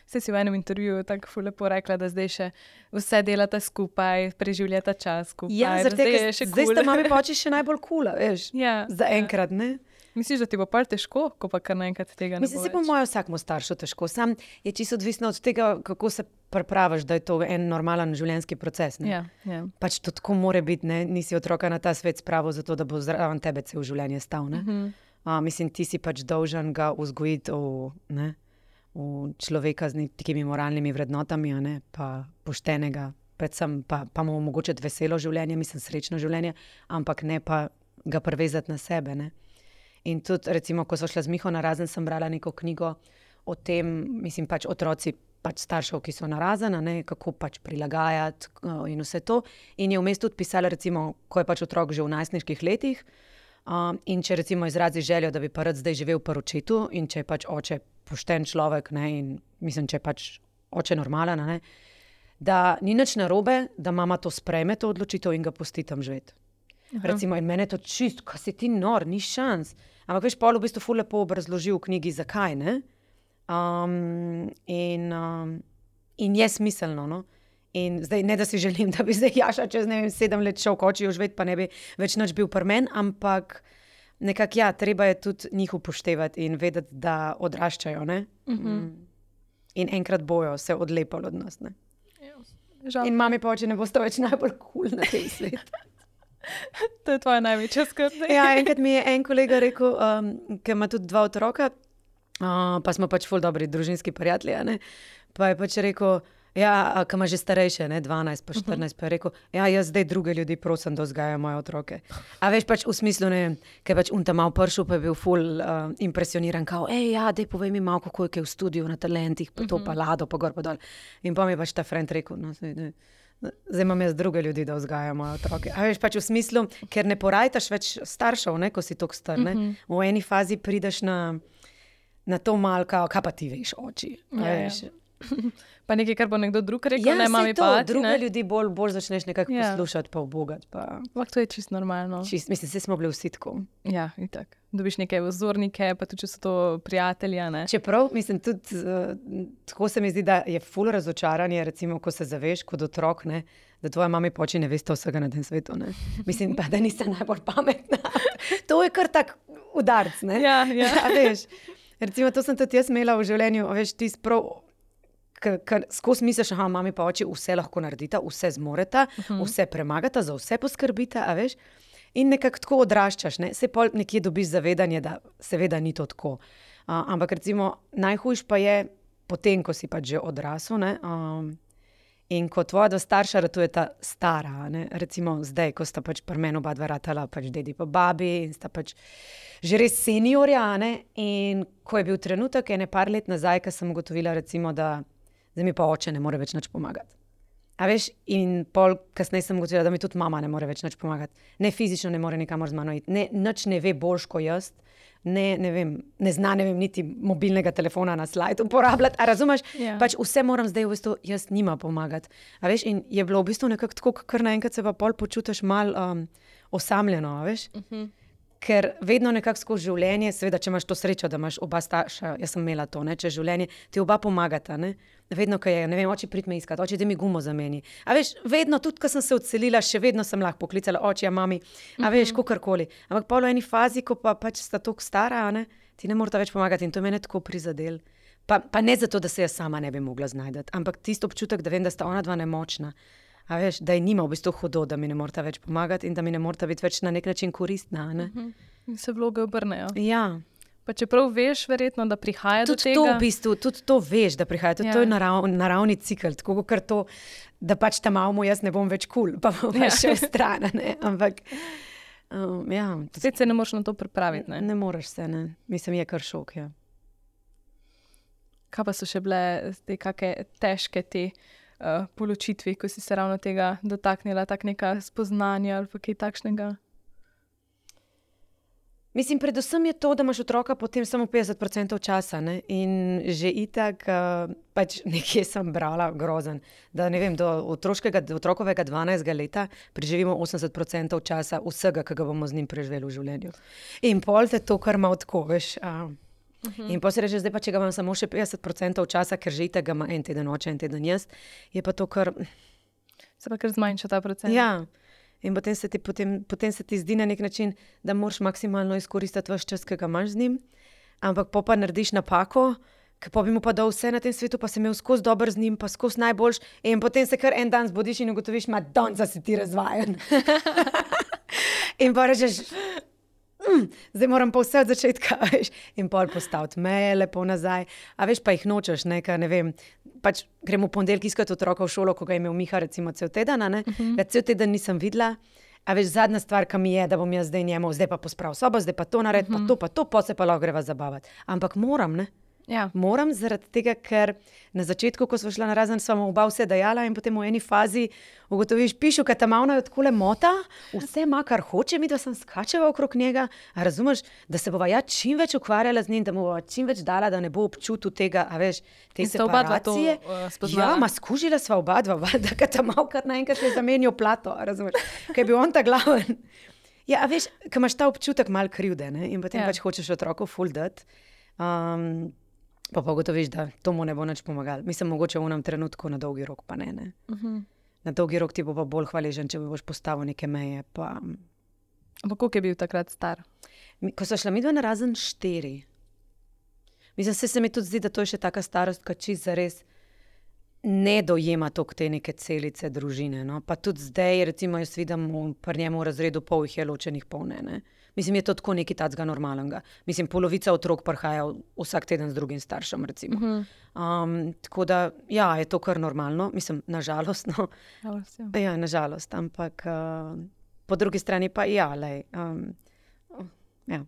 S2: Saj si v enem intervjuju tako ful lepo rekla, da zdaj še vse delata skupaj, preživljata čas skupaj.
S1: Ja,
S2: da
S1: zaradi
S2: zdaj
S1: tega,
S2: je še
S1: zdaj
S2: kul.
S1: sta mami pa oči še najbolj kula, veš,
S2: Ja,
S1: za
S2: ja.
S1: enkrat, ne.
S2: Misliš, da ti bo pa težko, ko pa kar naenkrat tega ne
S1: Mislim,
S2: bo
S1: se po
S2: več?
S1: mojem vsakmu staršu težko. Sam je čisto odvisno od tega, kako se pripraviš, da je to en normalen življenjski proces. Ne?
S2: Ja, ja.
S1: Pač to tako more biti, ne? Nisi otroka na ta svet spravil zato, da bo zraven tebe cel življenje stal. Ne?
S2: Mhm.
S1: A, mislim, ti si pač dolžan ga vzgojiti v, ne, v človeka z nekimi moralnimi vrednotami, a ne, pa poštenega, predvsem pa, pa mu omogočiti veselo življenje, mislim srečno življenje, ampak ne pa ga prevezati na sebe. Ne? In tudi, recimo, ko so šla z Miho narazen, sem brala neko knjigo o tem, mislim, pač otroci pač staršev, ki so narazena, ne, kako pač prilagajati uh, in vse to. In je vmes tudi pisala, recimo, ko je pač otrok že v najstniških letih, um, in če recimo izrazi željo, da bi pa rad zdaj živel pri očetu, in če je pač oče pošten človek, ne, in mislim, če je pač oče normalen, ne, da ni nič narobe, da mama to sprejme, to odločitev in ga pusti tam živeti. Recimo, in mene je to čist, ko si ti nor, ni šans. Ampak veš, Paul v bistvu ful lepo obrazložil v knjigi, zakaj, ne? Um, in, um, in je smiselno. No? In zdaj, ne da si želim, da bi zdaj Jaša čez ne vem, sedem let šel kočijo živeti, pa ne bi več nič bil pri meni, ampak nekako ja, treba je tudi njih upoštevati in vedeti, da odraščajo. Ne? Uh-huh. In enkrat bojo se odlepali od nas. Ne? In mami pa oče ne boste več najbolj kul cool na tem svetu.
S2: To je tvoja največja skrb.
S1: Ja, enkrat mi je en kolega rekel, um, ki ima tudi dva otroka, Uh, pa smo pač ful dobri družinski prijatelji, ne? Pa je pač rekel, ja, ki ima že starejše, ne, dvanajst pa štirinajst, uh-huh. Pa je rekel, ja, jaz zdaj druge ljudi prosim, da vzgajajo moje otroke. A veš pač v smislu, ne vem, ker je pač un tam mal pršel, pa je bil ful uh, impresioniran, kao, ej, ja, dej povej mi malo, kako je v studiu na talentih, pa to, uh-huh. Pa lado, pa gor, pa dol. In pa mi je pač ta friend rekel, no, zdaj, ne, zdaj imam jaz druge ljudi, da vzgajajo moje otroke. A veš pač v smislu, ker ne porajtaš več staršev, ne, ko si toliko star, ne. Uh-huh. V eni fazi prideš na na to malka, kaj pa ti veš, oči.
S2: Ja, ja. Pa nekaj, kar bo nekdo drug rekel,
S1: ja,
S2: ne mami
S1: to,
S2: pa ti.
S1: Druge
S2: ne?
S1: ljudi bolj, bolj začneš nekako ja. Poslušati, pa obogati. Pa...
S2: Ampak to je čisto normalno.
S1: Čist, mislim, vsi smo bili vsi tako.
S2: Ja, itak. Dobiš neke vzornike, pa tudi, če so to prijatelja. Ne?
S1: Čeprav, mislim, tudi uh, tako se mi zdi, da je ful razočaranje, recimo, ko se zaveš kot otrok, ne, da tvoja mami pa oči ne veste vsega na tem svetu. Ne. Mislim pa, da niste najbolj pametna. To je kar tak udarc, ne?
S2: Ja, ja.
S1: Ja, veš. Recimo, to sem tudi jaz imela v življenju, veš, ti sprav, ker skozi misliš, aha, mami pa oči vse lahko naredita, vse zmoreta, uh-huh. Vse premagata, za vse poskrbita, a veš, in nekako tako odraščaš, ne, se pol nekje dobiš zavedanje, da seveda ni to tako. Uh, ampak recimo, najhujš pa je potem, ko si pač že odrasel, ne, um, in ko tvoja dva starša ratujeta stara, ne, recimo zdaj, ko sta pač pri meni oba dva ratala, pač dedi pa babi in sta pač že res seniorja, ne, in ko je bil trenutek, ene par let nazaj, ko sem ugotovila, recimo, da zdaj mi pa oče ne more več nič pomagati. A veš, in pol kasneje sem ugotovila, da mi tudi mama ne more več nič pomagati. Ne fizično ne more nikamor z mano iti, ne, nič ne ve boljš kot jaz, ne, ne vem, ne zna, ne vem, niti mobilnega telefona na slajd uporabljati, a razumeš? Ja. Pač vse moram zdaj v bistvu jaz njima pomagati. A veš, in je bilo v bistvu nekako tako, kar naenkrat se pa pol počutiš mal um, osamljeno, a veš? Uh-huh. Ker vedno nekako skozi življenje, seveda, če imaš to srečo, da imaš oba starša, jaz sem imela to, ne, če življenje, ti oba pomagata, ne, vedno, ko je, ne vem, oči prid me iskat, oči, da mi gumo zameni. A veš, vedno, tudi, ko sem se odselila, še vedno sem lahko poklicala oči, a mami, a veš, kakorkoli. Ampak pol v eni fazi, ko pa pač sta toliko stara, ne, ti ne morata več pomagati in to je mene tako prizadel. Pa, pa ne zato, da se jaz sama ne bi mogla znajdati, ampak tisto občutek, da vem, da sta ona dva nemočna. A veš, da je nima v bistvu hudo, da mi ne morata več pomagati in da mi ne morata biti več na nek način koristna. Ne?
S2: Uh-huh. Se vloge obrnejo.
S1: Ja.
S2: Pa čeprav veš, verjetno, da prihaja
S1: tudi
S2: do tega.
S1: To v bistvu, tudi to veš, da prihaja. Tudi ja. To je narav, naravni cikl. Tako kot to, da pač ta malo jaz ne bom več kul, cool, pa bom ja. Še strana. Ne? Ampak, um, ja.
S2: Spet se ne moreš na to pripraviti. Ne,
S1: ne moreš se, ne. Mislim, je kar šok, ja.
S2: Kaj pa so še bile te kake težke te Uh, poločitvi, ko si se ravno tega dotaknila, tak neka spoznanja ali pa kaj takšnega?
S1: Mislim, predvsem je to, da imaš otroka potem samo petdeset procentov časa, ne? In že itak, uh, pač nekje sem brala grozen, da ne vem, do otroškega, do otrokovega dvanajstega leta preživimo osemdeset procentov časa vsega, ki ga bomo z njim preživeli v življenju. In pol te to kar malo tako, veš, uh, Uh-huh. In potem se reče, zdaj pa, če ga imam samo še petdeset procentov časa, ker že itak ga ima en teden oče, en teden jaz, je pa to kar...
S2: Se pa kar zmanjša ta procent.
S1: Ja, in potem se ti, potem, potem se ti zdi na nek način, da moraš maksimalno izkoristiti vaš čas, ki ga imaš z njim, ampak po pa narediš napako, ker pa bi mu pa dal vse na tem svetu, pa se imel skozi dober z njim, pa skozi najboljš, in potem se kar en dan zbudiš in ugotoviš, madonca si ti razvajen. In pa rečeš... Mm, zdaj moram pa vse od začetka, veš, in pol postaviti meje lepo nazaj, a veš, pa jih nočeš, ne, ka, ne vem, pač gremo v ponedeljek iskati otroka v šolo, ko ga je imel Miha recimo cel teden, ne? Uh-huh. Cel teden nisem videla. A veš, zadnja stvar, ki mi je, da bom jaz zdaj njemu, zdaj pa pospravil sobo, zdaj pa to narediti, uh-huh. pa to, pa to, pa se pa lahko greva zabavati. Ampak moram, ne?
S2: Ja.
S1: Moram zaradi tega, ker na začetku, ko smo šla narazen, sva mu oba vse dajala in potem v eni fazi ugotoviš, pišu, ker ta mavna jo takole mota, vse ima, kar hoče, mi da sem skačeva okrog njega, a razumeš, da se bova ja čim več ukvarjala z njim, da mu bova čim več dala, da ne bo občutil tega, a veš, te separacije.
S2: Uh, spoznala.
S1: Ja, ma skužila sva oba dva, da ka ta mal kar naenkrat je zamenjal plato, a razumeš, ker je bil on ta glaven. Ja, a veš, ker imaš ta občutek mal krivde, ne, in potem ja. pač hočeš otroku ful dati. Um, Pa pa gotoviš, da to mu ne bo nič pomagal. Mislim, mogoče v enem trenutku, na dolgi rok pa ne. ne. Uh-huh. Na dolgi rok ti bo pa bolj hvaležen, če boš postavil neke meje. Pa...
S2: Ampak koliko je bil takrat star?
S1: Ko so šla midva narazen štiri. Mislim, se, se mi tudi zdi, da to je še taka starost, ko čist zares ne dojema toliko te neke celice družine. No? Pa tudi zdaj, recimo, jaz vidim pri njemu v razredu pol jih je ločenih pol ne. ne? Mislim, je to tako nekaj tacga normalnega. Mislim, polovica otrok prihaja vsak teden z drugim staršem, recimo. Uh-huh. Um, tako da, ja, je to kar normalno. Mislim, nažalost, no.
S2: Žalost, ja.
S1: Ja, nažalost, ampak uh, po drugi strani pa ja, lej. Um, ja.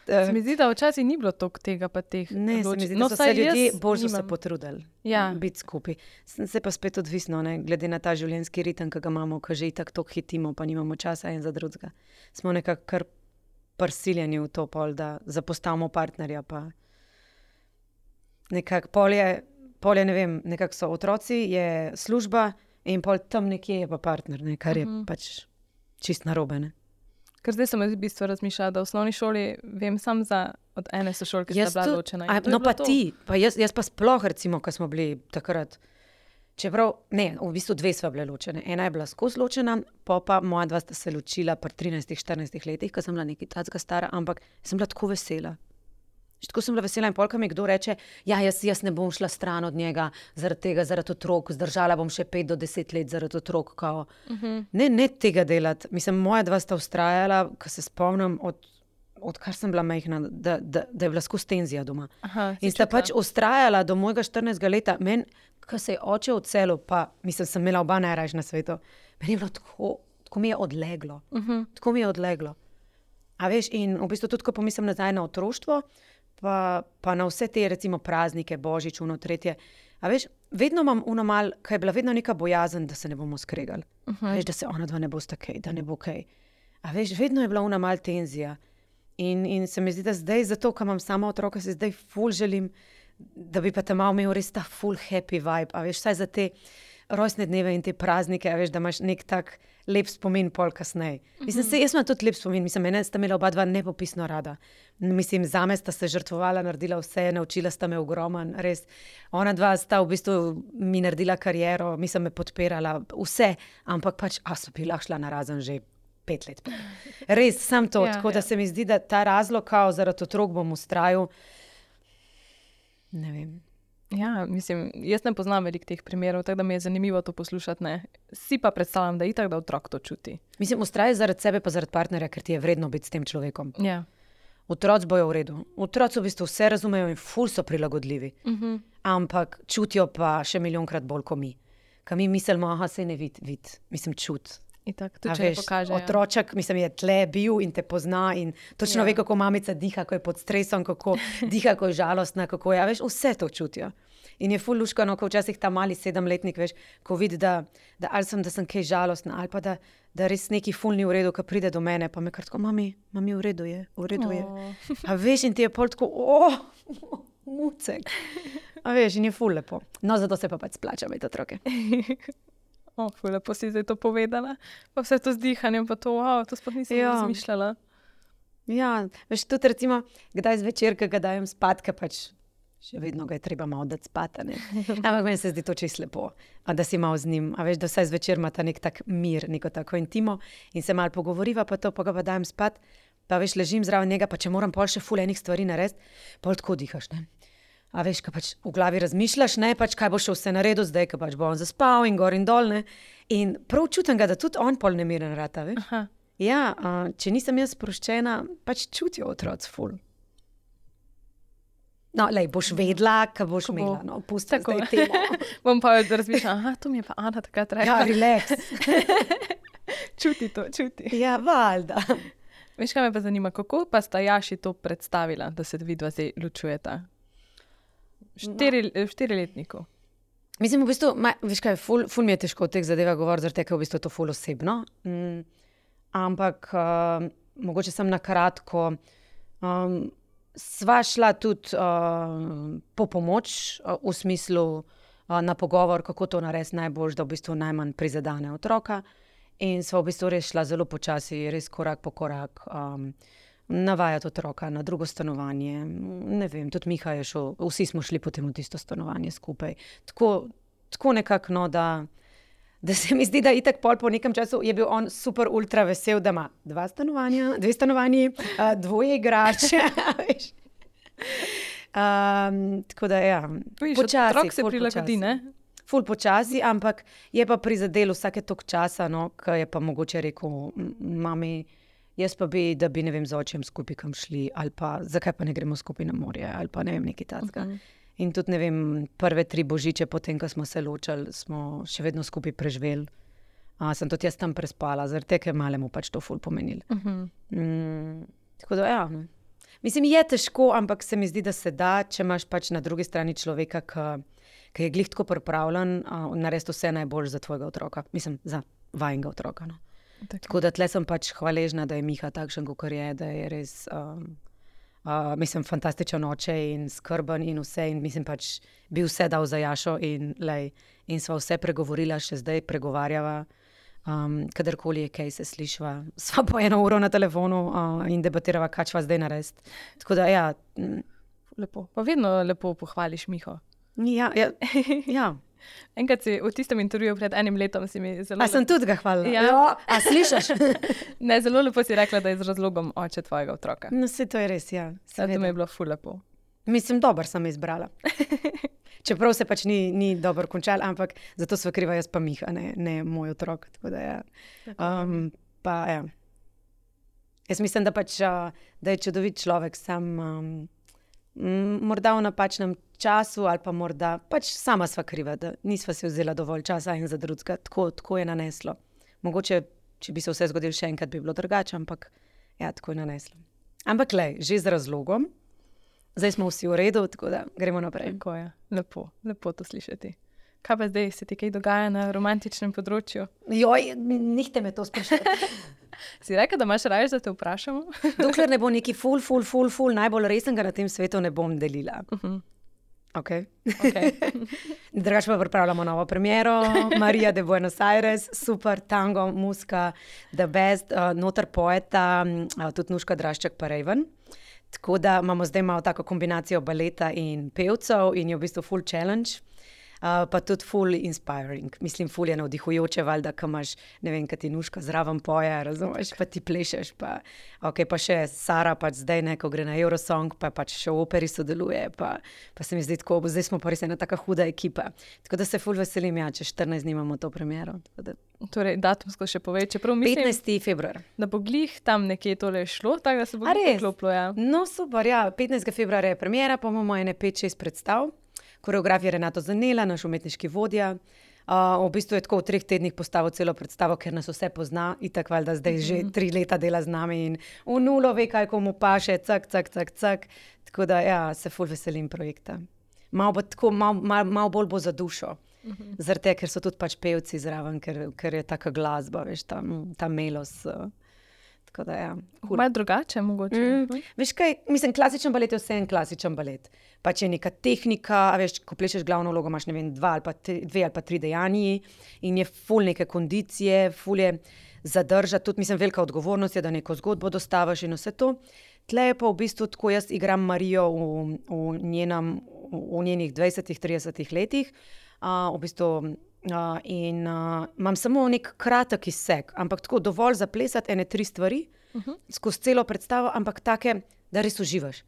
S2: Se mi zdi, da včasih ni bilo toliko tega pa teh.
S1: Ne, se mi zdi, da
S2: no,
S1: so se ljudje bolj
S2: nimam.
S1: se potrudili
S2: ja.
S1: biti skupaj. Se pa spet odvisno, ne, glede na ta življenjski ritem, ki ga imamo, ko že itak toliko hitimo, pa nimamo časa en za drugega. Smo nekako kar prisiljeni v to pol, da zapostavimo partnerja, pa nekako pol je, pol je, ne vem, nekako so otroci, je služba in pol tam nekje je pa partner, ne, kar je uh-huh. pač čist narobe, ne.
S2: Ker zdaj sem v bistvu razmišljala, da v osnovni šoli vem sam za od ene sošolke, ki sta bila ločena.
S1: A, no pa to. ti, pa jaz, jaz pa sploh recimo, ko smo bili takrat, čeprav, ne, v bistvu dve sva bile ločene. Ena je bila skozi ločena, pa pa moja dva sta se ločila pri trinajstih, štirinajstih letih, ko sem bila nekaj tacga stara, ampak sem bila tako vesela. Tako sem bila vesela in polka mi kdo reče, ja, jaz, jaz ne bom šla stran od njega zaradi tega, zaradi otrok, zdržala bom še pet do deset let zaradi otrok. Kao. Uh-huh. Ne, ne tega delati. Mislim, moja dva sta vztrajala, ko se spomnim, od, od kar sem bila majhna, da, da, da je bila skozi tenzija doma. Aha, in sta pač vztrajala do mojega štirinajstega leta. Meni, ko se je oče odselil, pa mislim, sem imela oba najrajš na svetu, meni je bilo tako, tako mi je odleglo. Uh-huh. Tako mi je odleglo. A veš, in v bistvu tudi, ko pomislim nazaj na otroštvo, Pa, pa na vse te recimo praznike, božič, uno, tretje. A veš, vedno imam uno mal, kaj je bila vedno neka bojazen, da se ne bomo skregali. Uh-huh. Veš, da se ona dva ne bosta kaj, da ne bo kaj. A veš, vedno je bila una mal tenzija. In, in se mi zdi, da zdaj, zato, ko imam sama otroka, se zdaj ful želim, da bi pa ta mal imel res ta full happy vibe. A veš, saj za te rojstne dneve in te praznike, a veš, da imaš nek tak lep spomin pol kasneje. Uh-huh. Mislim, se, jaz imam tudi lep spomin. Mislim, mene sta imela oba dva nepopisno rada. Mislim, zame sta se žrtvovala, naredila vse, naučila sta me ogroman, res. Ona dva sta v bistvu mi naredila kariero, mislim, me podpirala, vse, ampak pač, a so bi lahko šla narazen že pet let. Res, sam to, ja, tako ja. Da se mi zdi, da ta razlog, kao zaradi otrok bom ustrajal, ne vem.
S2: Ja, mislim, jaz ne poznam veliko teh primerov, tako da mi je zanimivo to poslušati, ne. Si pa predstavljam, da itak, da otrok to čuti.
S1: Mislim, ustraje zaradi sebe pa zaradi partnerja, ker ti je vredno biti s tem človekom.
S2: Ja.
S1: Otroci bojo v redu. Otroci v bistvu vse razumejo in ful so prilagodljivi. Uh-huh. Ampak čutijo pa še milijonkrat bolj kot mi. Ko mi mislimo, aha, sej ne vid, vid. Mislim, čut.
S2: Itak, to če ne pokaže.
S1: Otroček, mislim, je tle bil in te pozna in točno ja. Ve, kako mamica diha, ko je pod stresom, kako diha, ko je žalostna, kako je, veš, vse to čutijo. In je ful luškano, ko včasih ta mali sedemletnik, veš, ko vidi, da, da ali sem, da sem kaj žalostna, ali pa da, da res neki ful ni v redu, ko pride do mene, pa me kar tako, mami, mami, v redu je, v redu je. Oh. A veš, in ti je pol tako, oh, mucek. A veš, in je ful lepo. No, zato se pa pač splača imeti otroke.
S2: O, ful lepo si zdaj to povedala. Pa vse to z dihanjem, pa to, wow, to sploh nisem ja. Razmišljala.
S1: Ja, veš, tudi recimo, kdaj zvečer, ko ga dajem spat, ka pač še vedno ga je treba malo dati spati, ne. Ampak meni se zdi to čisto lepo, a da si malo z njim, a veš, da vsaj zvečer ima ta nek tak mir, neko tako intimo in se malo pogovoriva, pa to, pa ga pa dajem spat, pa veš, ležim zraven njega, pa če moram pol še ful enih stvari narediti, pol tako dihaš, ne. A veš, ko pač v glavi razmišljaš, ne, pač kaj bo še vse naredil zdaj, ko pač bo on zaspal in gor in dol, ne. In prav čutim ga, da tudi on pol nemiren rata, veš. Aha. Ja, a, če nisem jaz sproščena, pač čutijo otroci ful. No, lej, boš vedela, kaj boš
S2: Ko bo.
S1: imela. No, pusti
S2: Tako.
S1: zdaj temo.
S2: Bom pa razmišljala, aha, to mi je pa Ana takrat rekla.
S1: Ja, relax.
S2: Čuti to, čuti.
S1: Ja, valjda.
S2: Veš, kaj me pa zanima, kako pa sta Jaši to predstavila, da se vidva zdaj ločujeta? Štiri, v štiriletniku.
S1: Mislim, v bistvu, ma, veš kaj, ful, ful mi je težko o teh zadevah govoriti, zaradi tega, ker je v bistvu to ful osebno. Mm, ampak uh, mogoče sem na kratko. Um, sva šla tudi uh, po pomoč, uh, v smislu uh, na pogovor, kako to narediti najbolj, da v bistvu najmanj prizadene otroka. In sva v bistvu res šla zelo počasi, res korak po korak. Um, Navajati otroka na drugo stanovanje. Ne vem, tudi Miha je šel, vsi smo šli potem v tisto stanovanje skupaj. Tako, tako nekako, no, da, da se mi zdi, da itak pol po nekem času je bil on super ultra vesel, da ima dva stanovanja, dve stanovanji, uh, dvoje igrače. um, tako da, ja,
S2: počasi. Otrok se prilagodi, ne?
S1: Ful počasi, ampak je pa prizadel vsake toliko časa, no, ki je pa mogoče rekel, mami, jaz pa bi, da bi, ne vem, z očem skupaj kam šli, ali pa zakaj pa ne gremo skupaj na morje, ali pa ne vem, nekaj takega. Uh-huh. In tudi, ne vem, prve tri božiče, potem, ko smo se ločili, smo še vedno skupaj preživeli. A, sem tudi jaz tam prespala, zaradi tega, ker malemu pač to ful pomenil. Uh-huh. Mm, tako da, ja. Mislim, je težko, ampak se mi zdi, da se da, če imaš pač na drugi strani človeka, ki je glih tako pripravljen, uh, narediti vse najbolj za tvojega otroka. Mislim, za vajnega otroka, no. Tako. Tako da tle sem pač hvaležna, da je Miha takšen, kot je, da je res, um, uh, mislim, fantastičen oče in skrben in vse. In mislim pač, bi vse dal za Jašo in, lej, in sva vse pregovorila, še zdaj pregovarjava. Um, kadarkoli je kaj se slišva, sva po eno uro na telefonu uh, in debatirava, kaj čva zdaj narediti. Tako da, ja.
S2: Lepo. Pa vedno lepo pohvališ Miho.
S1: Ja, ja. ja.
S2: Enkrat si v tistem intervjuju pred enim letom si mi zelo...
S1: A sem tudi ga hvalila?
S2: Ja.
S1: Jo, a slišaš?
S2: Ne, zelo lepo si rekla, da je z razlogom oče tvojega otroka.
S1: No, se to je res, ja.
S2: To mi je bilo ful lepo.
S1: Mislim, dober sem izbrala. Čeprav se pač ni, ni dobro končal, ampak zato sva kriva jaz pa Miha, ne, ne moj otrok. Tako da, ja. Um, pa, ja. Jaz mislim, da pač, da je čudovit človek, sam um, morda v napačnem času ali pa morda, pač sama sva kriva, da nisva si vzela dovolj časa in za drugega, tako, tako je naneslo. Mogoče, če bi se vse zgodilo še enkrat, bi bilo drugače, ampak ja, tako je naneslo. Ampak lej, že z razlogom, zdaj smo vsi v redu, tako da gremo naprej.
S2: Tako je, lepo, lepo to slišati. Kaj pa zdaj, se ti kaj dogaja na romantičnem področju?
S1: Joj, nihte me to sprašati.
S2: Si rekel, da imaš raje, da te vprašamo?
S1: Dokler ne bo neki ful, ful, ful, ful, najbolj resnega na tem svetu ne bom delila. Uh-huh. Ok. okay. Drugače pa pripravljamo novo premiero, Maria de Buenos Aires, super tango, muska, the best, uh, noter poeta, uh, tudi Nuška Drašček pa Raven. Tako da imamo zdaj malo tako kombinacijo baleta in pevcev in je v bistvu full challenge. Uh, pa tudi ful inspiring. Mislim, ful je navdihujoče, valjda, ko imaš, ne vem, kaj ti Nuška zraven poje, razumeš, pa ti plešeš, pa, okay, pa še Sara pač zdaj, ne, ko gre na Eurosong, pa pač še v operi sodeluje, pa, pa se mi zdi tako, zdaj smo pa res ena taka huda ekipa. Tako da se ful veselim, ja, če štirinajst dni imamo to premiero. Da...
S2: Torej, datumsko še povej, čeprav mislim,
S1: petnajsti februar.
S2: Da bo glih tam nekje tole šlo, tako da se bo glih poklopilo, ja.
S1: No, super, ja, petnajstega februarja je premiera, pa imamo ene pet šest predstav. Koreograf je Renato Zanela, naš umetniški vodja. Uh, v bistvu je tako v treh tednih postavil celo predstavo, ker nas vse pozna. Itak valjda zdaj že tri leta dela z nami in v nulo ve, kaj komu paše, cak, cak, cak, cak. Tako da, ja, se ful veselim projekta. Malo bo tako, malo mal, mal bolj bo za dušo. Uh-huh. Zaradi tega, ker so tudi pač pevci zraven, ker, ker je taka glasba, veš, ta, ta melos. Uh. Da, ja, cool.
S2: Malo drugače, mogoče.
S1: Mm, veš kaj, mislim, klasičen balet je vse en klasičen balet. Pač je neka tehnika, veš, ko plešeš glavno vlogo, imaš, ne vem, dva ali pa tri, dve ali pa tri dejanji in je ful neke kondicije, ful je zadržati, tudi mislim, velika odgovornost je, da neko zgodbo dostavaš in vse to. Tle je pa v bistvu tako, jaz igram Marijo v, v, njenem, v njenih dvajsetih, tridesetih letih, uh, v bistvu Uh, in uh, imam samo nek kratek izsek, ampak tako dovolj zaplesati ene tri stvari uh-huh. skozi celo predstavo, ampak take, da res uživaš.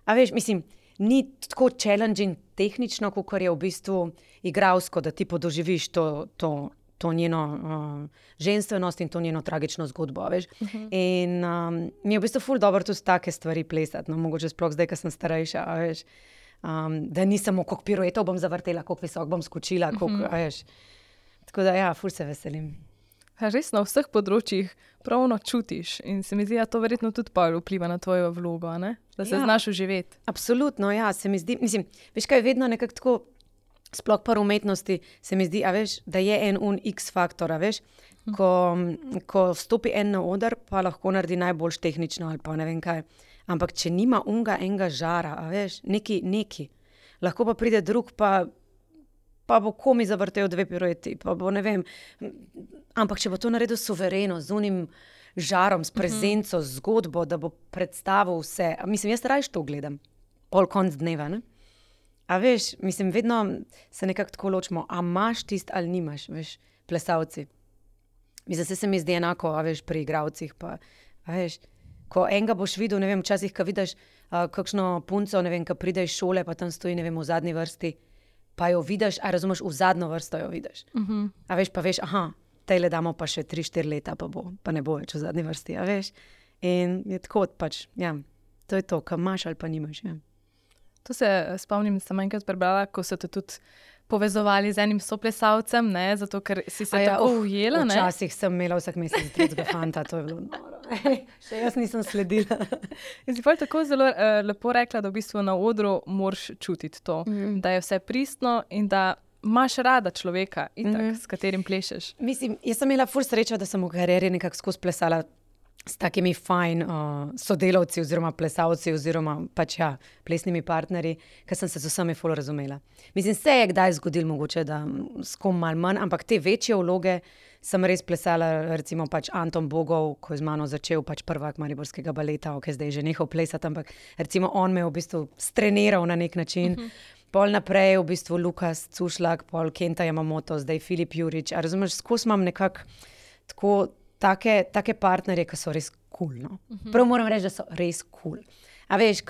S1: A veš, mislim, ni tako challenging tehnično, kot je v bistvu igralsko, da ti podoživiš to, to, to njeno uh, ženstvenost in to njeno tragično zgodbo, veš. Uh-huh. In um, mi je v bistvu ful dobro tudi take stvari plesati, no, mogoče sploh zdaj, ko sem starejša, a veš. Um, da ni samo, koliko piruetov bom zavrtela, koliko visok bom skočila, koliko, a veš. Tako da ja, ful se veselim.
S2: Ja, res na vseh področjih pravno čutiš in se mi zdi, da to verjetno tudi pol vpliva na tvojo vlogo, ne? Da se
S1: Ja.
S2: znaš uživeti.
S1: Absolutno, ja, se mi zdi, mislim, veš kaj, vedno nekako tako, sploh pa v umetnosti, se mi zdi, a veš, da je en un X-faktor, a veš, ko, ko vstopi en na oder, pa lahko naredi najboljš tehnično ali pa ne vem kaj, ampak če nima unga enega žara, a veš, neki, neki, lahko pa pride drug, pa pa bo komi zavrtel dve pirueti, pa bo ne vem, ampak če bo to naredil suvereno, z unim žarom, s prezenco, z zgodbo, da bo predstavil vse, a mislim, jaz rajš to gledam, pol konc dneva, ne? A veš, mislim, vedno se nekako tako ločimo, a imaš tist ali nimaš, veš, plesalci. Mislim, se se mi zdi enako, a veš, pri igralcih, pa, a veš, ko enega boš videl, ne vem, včasih, ko vidiš uh, kakšno punco, ne vem, ko pride iz šole, pa tam stoji, ne vem, v zadnji vrsti, pa jo vidiš, a razumeš, v zadnjo vrsto jo vidiš.
S2: Uh-huh.
S1: A veš, pa veš, aha, tejle damo pa še tri, štiri leta, pa bo, pa ne bo več v zadnji vrsti, a veš. In je tako pač, ja, to je to, ko imaš ali pa nimaš, ja.
S2: To se spomnim, sem enkrat prebrala, ko so te tudi povezovali z enim soplesalcem, ne, zato ker si se
S1: A ja,
S2: tako
S1: uf,
S2: ujela, ne?
S1: Včasih sem imela vsak mesec tretjega fanta, to je bilo noro. Ej, še jaz nisem sledila.
S2: In si pol tako zelo uh, lepo rekla, da v bistvu na odru moraš čutiti to,
S1: Mhm.
S2: da je vse pristno in da imaš rada človeka, itak,
S1: Mhm.
S2: s katerim plešeš.
S1: Mislim, jaz sem imela ful srečo, da sem v karieri nekako skozi plesala s takimi fajn uh, sodelavci oziroma plesalci oziroma pač ja, plesnimi partnerji, ker sem se z vsemi ful razumela. Mislim, se je kdaj zgodilo mogoče, da mm, s kom malo manj, ampak te večje vloge sem res plesala, recimo pač Anton Bogov, ko je z mano začel pač prvak mariborskega baleta, ok, zdaj je že nehal plesati, ampak recimo on me je v bistvu streniral na nek način. Uh-huh. Pol naprej v bistvu Lukas Cušlak, pol Kenta Yamamoto, zdaj Filip Jurič, a razumeš, skozi imam nekako tako take, take partnerje, ki so res kul, cool, no. Uh-huh. Prav moram reči, da so res kul. Cool. A veš,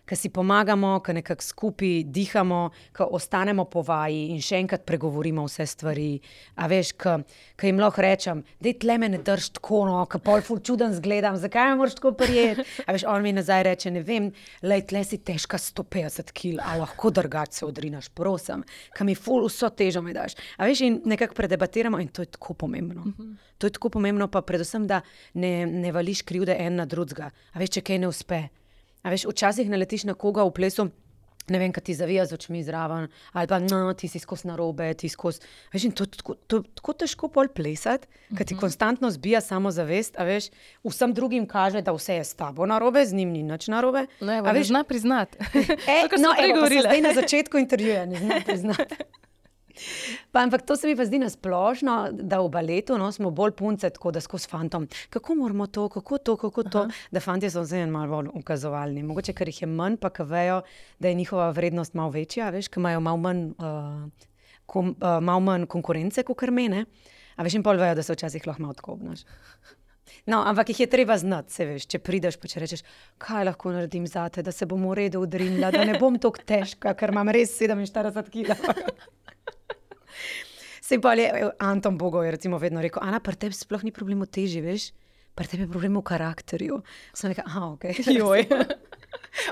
S1: ki si pomagamo, ki nekako skupaj dihamo, ki ostanemo po vaji in še enkrat pregovorimo vse stvari. A veš, ki jim lahko rečem, dej tle me ne drž tako, no, ki pol ful čuden zgledam, zakaj me moraš tako prijeti? A veš, on mi nazaj reče, ne vem, lej, tle si težka sto petdeset kil, a lahko drugače se odrinaš, prosim, ki mi ful vso težo mi daš. A veš, in nekako predebatiramo in to je tako pomembno. Uh-huh. To je tako pomembno, pa predvsem, da ne, ne vališ krivde en na drugega. A veš, če kaj ne uspe. A veš, včasih naletiš na koga v plesu, ne vem, kaj ti zavija z očmi zraven, ali pa no, ti si skozi narobe, ti skozi. Veš, in to je tako, to, tako težko pol plesati, ker ti konstantno zbija samozavest, a veš, vsem drugim kaže, da vse je s tabo narobe, z njim ni nič narobe.
S2: No, evo, a veš, zna priznati.
S1: E, no, evo, pa se zdaj na začetku intervjuja, ne zna priznati. Pa, ampak to se mi pa zdi nasplošno, da v baletu no, smo bolj punce, tako da skozi fantom, kako moramo to, kako to, kako to, Aha. da fantje so vse malo bolj ukazovalni. Mogoče, ker jih je manj, pa ker vejo, da je njihova vrednost malo večja, veš, ker imajo malo manj, uh, kom, uh, malo manj konkurence, kot mene, a veš, in pol vejo, da se včasih lahko malo tako obnaš. No, ampak jih je treba znati, se veš, če prideš, pa če rečeš, kaj lahko naredim zate, da se bom v redu udrinila, da ne bom tako težka, ker imam res sedeminštirideset kilogramov. Sej pa je Anton Bogov je recimo vedno rekel, Ana, pri tebi sploh ni problem v teži, veš, pri tebi je problem v karakterju. Sem rekel, aha, ok.
S2: Joj.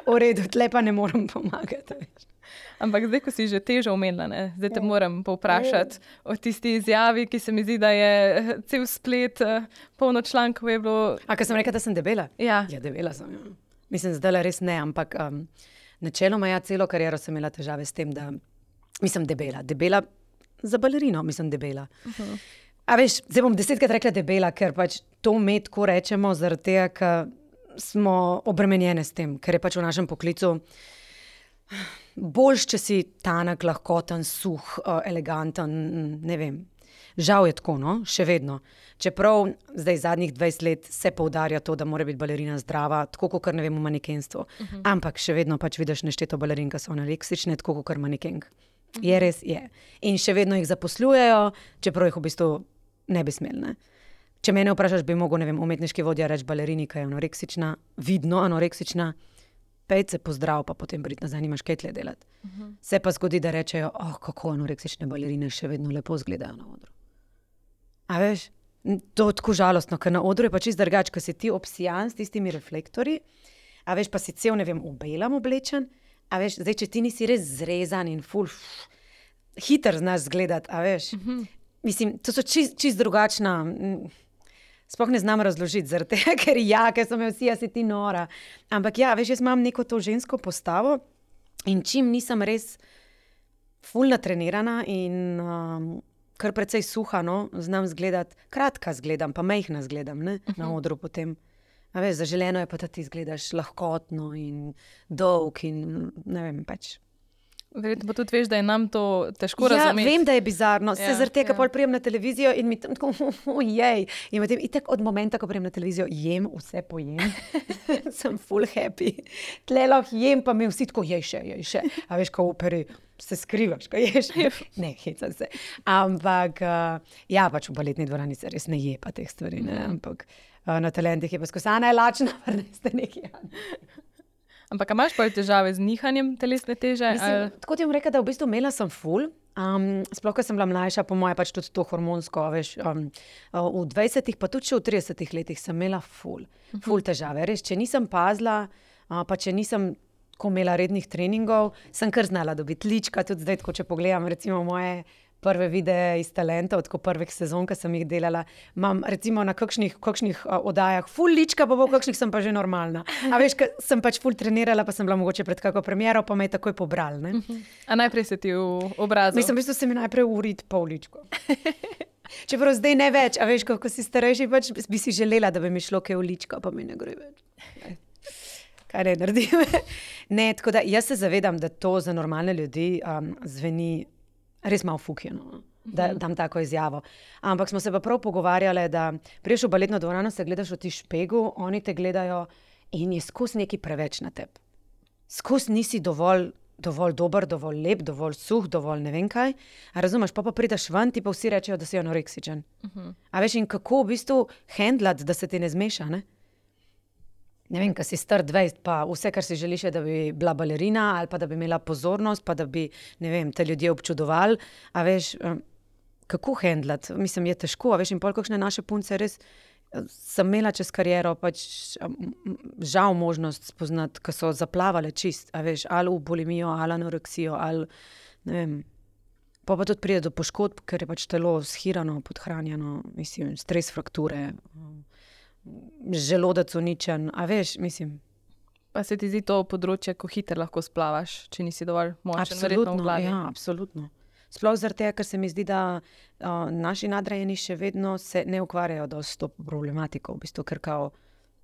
S1: V redu, tle pa ne morem pomagati, veš.
S2: Ampak zdaj, ko si že težo omenila, ne, zdaj te moram povprašati o tisti izjavi, ki se mi zdi, da je cel splet, polno člankov je bilo.
S1: A, ker sem rekla, da sem debela?
S2: Ja.
S1: Ja, debela sem, ja. Mislim, zdaj res ne, ampak um, načeloma ja, celo kariero sem imela težave s tem, da mislim debela, debela za balerino, mislim debela. Uh-huh. A veš, zdaj bom desetkrat rekla debela, ker pač to me tako rečemo, zaradi tega, ker smo obremenjene s tem, ker je pač v našem poklicu boljš, če si tanek, lahkoten, suh, eleganten, ne vem. Žal je tako, no, še vedno. Čeprav zdaj zadnjih dvajset let se poudarja to, da mora biti balerina zdrava, tako kot ne vem v manekenstvu. Uh-huh. Ampak še vedno pač vidiš nešteto balerin, ki so anoreksične, tako kot manekenk. Je res, je. In še vedno jih zaposlujejo, čeprav jih v bistvu ne bi smeli. Ne? Če mene vprašaš, bi mogel, ne vem, umetniški vodja reči balerini, ki je anoreksična, vidno anoreksična, pejce pozdrav, pa potem priti nazaj, nimaš kaj tle delati. Uh-huh. Se pa zgodi, da rečejo, oh, kako anoreksične balerine še vedno lepo izgledajo na odru. A veš, to je tako žalostno, ker na odru je pa čisto drugače, ker si ti obsijan s tistimi reflektorji, a veš, pa si cel, ne vem, v belem oblečen, a veš, zdaj, če ti nisi res zrezan in ful, hiter znaš zgledati, a veš. Mm-hmm. Mislim, to so čist, čist drugačna, sploh ne znam razložiti, zaradi tega, ker ja, ker so me vsi, a si ti nora. Ampak ja, veš, jaz imam neko to žensko postavo in čim nisem res ful natrenirana in um, kar precej suha, no, znam zgledati, kratka zgledam, pa mejhna zgledam, ne, uh-huh. na odru potem. A veš, zaželeno je pa, da ti zgledaš lahkotno in dolg in ne vem, pač.
S2: Verjetno pa tudi veš, da je nam to težko
S1: ja,
S2: razumeti.
S1: Ja, vem, da je bizarno.
S2: Ja,
S1: se zaradi tega
S2: ja.
S1: pol prijem na televizijo in mi tam tako, ojej. In potem itak od momenta, ko prijem na televizijo, jem, vse pojem. Sem full happy. Tle lahko jem, pa mi vsi tako, jej še, jej še. A veš, ko v operi se skrivaš, ko ješ. Ne, hecam se. Ampak, uh, ja, pač v baletni dvorani se res ne je pa teh stvari, ne. Ampak uh, na talentih je pa skozi, Ana je lačna, pa ne ste neki.
S2: Ampak imaš pa težave z nihanjem telesne teže?
S1: Mislim, tako ti bom rekla, da v bistvu imela sem ful. Um, sploh, ko sem bila mlajša, po moje pač tudi to hormonsko, veš, um, v dvajsetih, pa tudi še v tridesetih letih sem imela ful, ful težave. Res, če nisem pazila, uh, pa če nisem ko imela rednih treningov, sem kar znala dobiti lička, tudi zdaj, tako če pogledam, recimo moje prve videe iz talentov, tako prvih sezon, ki sem jih delala, imam recimo na kakšnih, kakšnih uh, oddajah ful lička, pa v kakšnih sem pa že normalna. A veš, ker sem pač ful trenirala, pa sem bila mogoče pred kako premiero, pa me je takoj pobral, ne?
S2: Uh-huh. A najprej se ti v obrazu?
S1: Mislim, v bistvu se mi najprej urit pol ličko. Čeprav zdaj ne več, a veš, ko si starejši, pač bi si želela, da bi mi šlo kaj v ličko, pa mi ne gre več. Ne. Kaj ne naredim? Ne, tako da jaz se zavedam, da to za normalne ljudi um, zveni res malo fukjeno, da dam tako izjavo. Ampak smo se pa prav pogovarjali, da priješ v baletno dvorano, se gledaš v ti špegu, oni te gledajo in je skozi nekaj preveč na tebi. Skozi nisi dovolj, dovolj dober, dovolj lep, dovolj suh, dovolj ne vem kaj. A razumeš, pa pa prideš ven, ti pa vsi rečejo, da si anoreksičen. Uh-huh. A veš, in kako v bistvu handlati, da se ti ne zmeša, ne? Ne vem, ko si star dvajset, pa vse, kar si želiš, je, da bi bila balerina ali pa da bi imela pozornost, pa da bi, ne vem, te ljudje občudovali. A veš, kako handlati? Mislim, je težko, a veš, in pol kakšne naše punce res sem imela čez kariero pač žal možnost spoznati, ko so zaplavale čist, a veš, ali v bulimijo, ali anoreksijo, ali, ne vem, pa pa tudi pride do poškodb, ker je pač telo shirano, podhranjeno, mislim, stres frakture, želodec uničen, a veš, mislim.
S2: Pa se ti zdi to področje, ko hiter lahko splavaš, če nisi dovolj močen,
S1: verjetno v glavi? Ja, absolutno. Sploh zaradi tega, ker se mi zdi, da uh, naši nadrejeni še vedno se ne ukvarjajo dosti s to problematiko, v bistvu, ker kao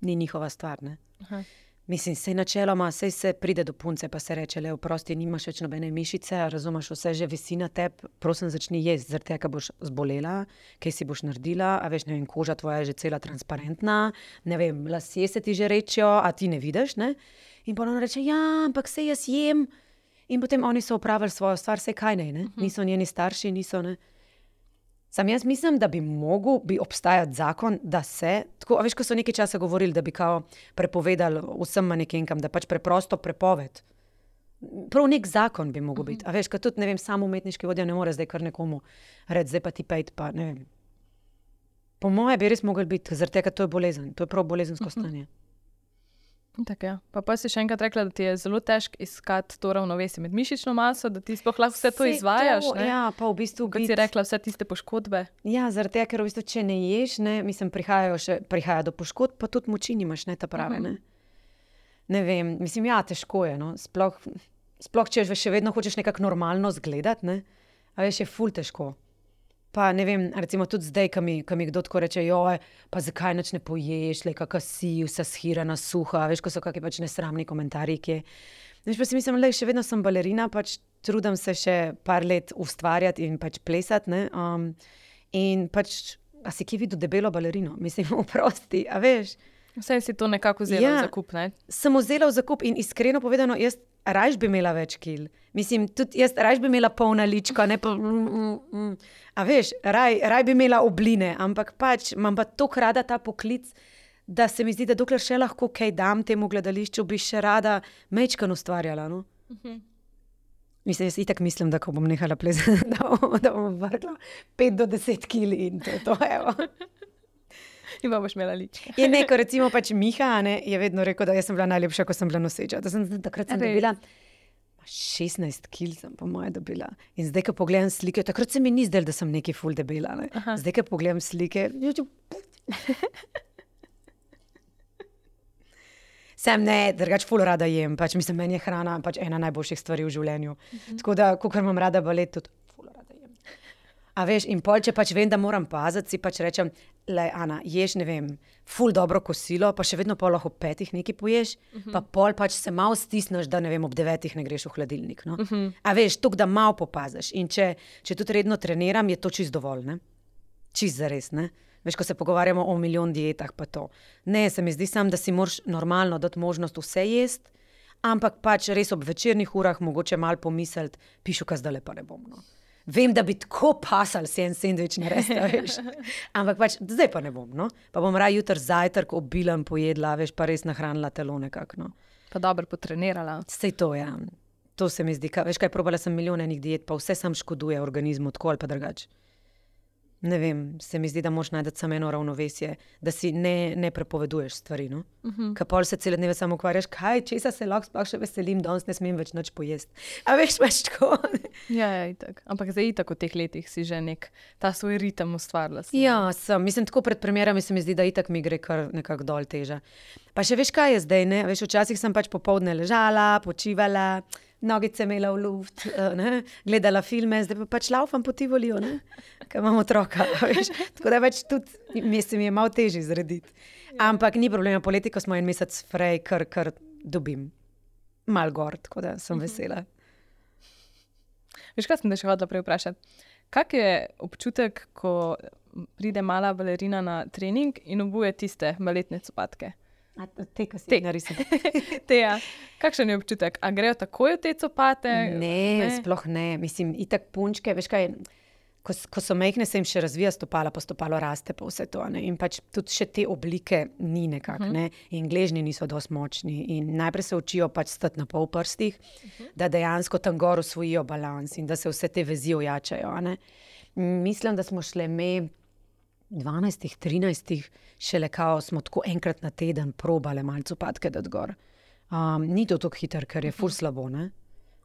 S1: ni njihova stvar, ne. Aha. Mislim, sej načeloma, sej se pride do punce, pa se reče, le, oprosti, nimaš več nobene mišice, razumeš, vse že visi na tebi, prosim, začni jesti, zaradi tega, ker boš zbolela, kaj si boš naredila, a veš, ne vem, koža tvoja je že cela transparentna, ne vem, lasje se ti že rečijo, a ti ne vidiš, ne? In pa ona reče, ja, ampak sej jaz jem. In potem oni so opravili svojo stvar, sej kaj ne, ne? Niso njeni starši, niso, ne? Sam jaz mislim, da bi mogel bi obstajati zakon, da se, tako, a veš, ko so nekaj časa govorili, da bi kao prepovedali vsem manekenkam, da pač preprosto prepoved. Prav nek zakon bi mogel biti. A veš, ko tudi, ne vem, sam umetniški vodja ne more zdaj kar nekomu reči, zdaj pa ti pejt, pa ne vem. Po moje bi res mogel biti, zaradi tega to je bolezen, to je prav bolezensko stanje.
S2: Tako, ja. Pa pa si še enkrat rekla, da ti je zelo težko iskati to ravnovesje med mišično maso, da ti sploh lahko vse to vse izvajaš. To,
S1: ja, pa v bistvu
S2: kot si rekla, vse tiste poškodbe.
S1: Ja, zaradi tega, ker v bistvu, če ne ješ, ne, mislim, prihajajo še, prihaja do poškodb, pa tudi moči nimaš, ne, ta prave, ne. Ne vem, mislim, ja, težko je, no, sploh, sploh če še vedno hočeš nekako normalno zgledati, ne, a veš, je ful težko. Pa ne vem, recimo tudi zdaj, ko mi, ko mi kdo tako reče, joj, pa zakaj nič ne poješ, le kaka si, vsa shirana, suha, veš, ko so kakšni pač nesramni komentarji, ki veš, pa si mislim, le, še vedno sem balerina, pač trudim se še par let ustvarjati in pač plesati, ne, um, in pač, a si kje videl debelo balerino, mislim, oprosti, a veš.
S2: Vse si to nekako vzela ja, v zakup, ne?
S1: Sem vzela v zakup in iskreno povedano, jaz rajš bi imela več kil. Mislim, tudi jaz rajš bi imela polna lička, ne pa... Mm, mm, mm. A veš, raj, raj bi imela obline, ampak pač imam pa toliko rada ta poklic, da se mi zdi, da dokler še lahko kaj dam temu gledališču, bi še rada mečkan ustvarjala, no? Uh-huh. Mislim, jaz itak mislim, da ko bom nehala plezati, da, da bom vrgla pet do deset kil in to je to, evo.
S2: In pa boš imela ličke.
S1: Je neko, recimo pač Miha, ne, je vedno rekel, da jaz sem bila najlepša, ko sem bila noseča. Da sem, takrat sem dobila, šestnajst kil sem po moje dobila. In zdaj, ko pogledam slike, takrat se mi ni zdelo, da sem nekaj ful debela. Ne? Zdaj, ko pogledam slike, sem ne, drugač ful rada jem. Pač, mislim, meni je hrana pač ena najboljših stvari v življenju. Mhm. Tako da, kakor imam rada balet, tudi ful rada jem. A veš, in pol, če pač vem, da moram paziti, si pač rečem, le, Ana, ješ, ne vem, ful dobro kosilo, pa še vedno pol lahko ob petih nekaj poješ, uh-huh. pa pol pač se malo stisneš, da ne vem, ob devetih ne greš v hladilnik. No? Uh-huh. A veš, tuk, da malo popaziš. In če, če tudi redno treniram, je to čist dovolj, ne? Čist zares, ne? Veš, ko se pogovarjamo o milijon dietah, pa to. Ne, se mi zdi sam, da si moraš normalno dati možnost vse jesti, ampak pač res ob večernih urah mogoče malo pomisliti, pišu, kaj zdaj pa ne bom, no. Vem, da bi tako pasal si en sendvič narediti, veš. Ampak pač, zdaj pa ne bom, no. Pa bom raje jutri zajtrk obilen pojedla, veš, pa res nahranila telo nekako, no.
S2: Pa dobro potrenirala.
S1: Sej to, ja. To se mi zdi, ka, veš kaj, probala sem milijon enih diet, pa vse sam škoduje organizmu, tako ali pa drugače. Ne vem, se mi zdi, da moraš najti samo eno ravnovesje, da si ne, ne prepoveduješ stvari, no. Uh-huh. Ka pol se cele dneve samo ukvarjaš, kaj, česa se lahko sploh še veselim, danes ne smem več nič pojesti. A veš, veš tako.
S2: Ja, ja, itak. Ampak zdaj itak v teh letih si že nek ta svoj ritem ustvarila.
S1: Ja, sem. Mislim, tako pred premierami se mi zdi, da itak mi gre kar nekako dol teža. Pa še veš, kaj je zdaj, ne? Veš, včasih sem pač popoldne ležala, počivala, nogice imela v luft, ne? Gledala filme, zdaj pa pač laufam po Tivoliju, ne? Ker imam otroka, veš. Tako da več tudi se mi je malo težje zrediti. Ampak ni problema, poleti, ko smo en mesec frej, kar, kar dobim. Mal gor, tako da sem vesela.
S2: Veš, kaj sem te še hodila prej vprašati? Kak je občutek, ko pride mala balerina na trening in obuje tiste baletne copatke?
S1: A te, ki si narisala.
S2: Te, ja. Kakšen je občutek? A grejo takoj v te copate?
S1: Ne, ne, sploh ne. Mislim, itak punčke, veš kaj, ko, ko so majhne, se jim še razvija stopala, pa stopalo raste, pa vse to. Ne? In pač tudi še te oblike ni nekako, uh-huh. ne? In gležnji niso dosti močni. In najprej se učijo pač stati na pol prstih, uh-huh. da dejansko tam gor osvojijo balans in da se vse te vezi ojačajo. Ne? Mislim, da smo šle me dvanajstih, trinajstih, šele kao smo tako enkrat na teden probale malo copatke dati gor. Um, ni to tako hiter, ker je ful slabo, ne?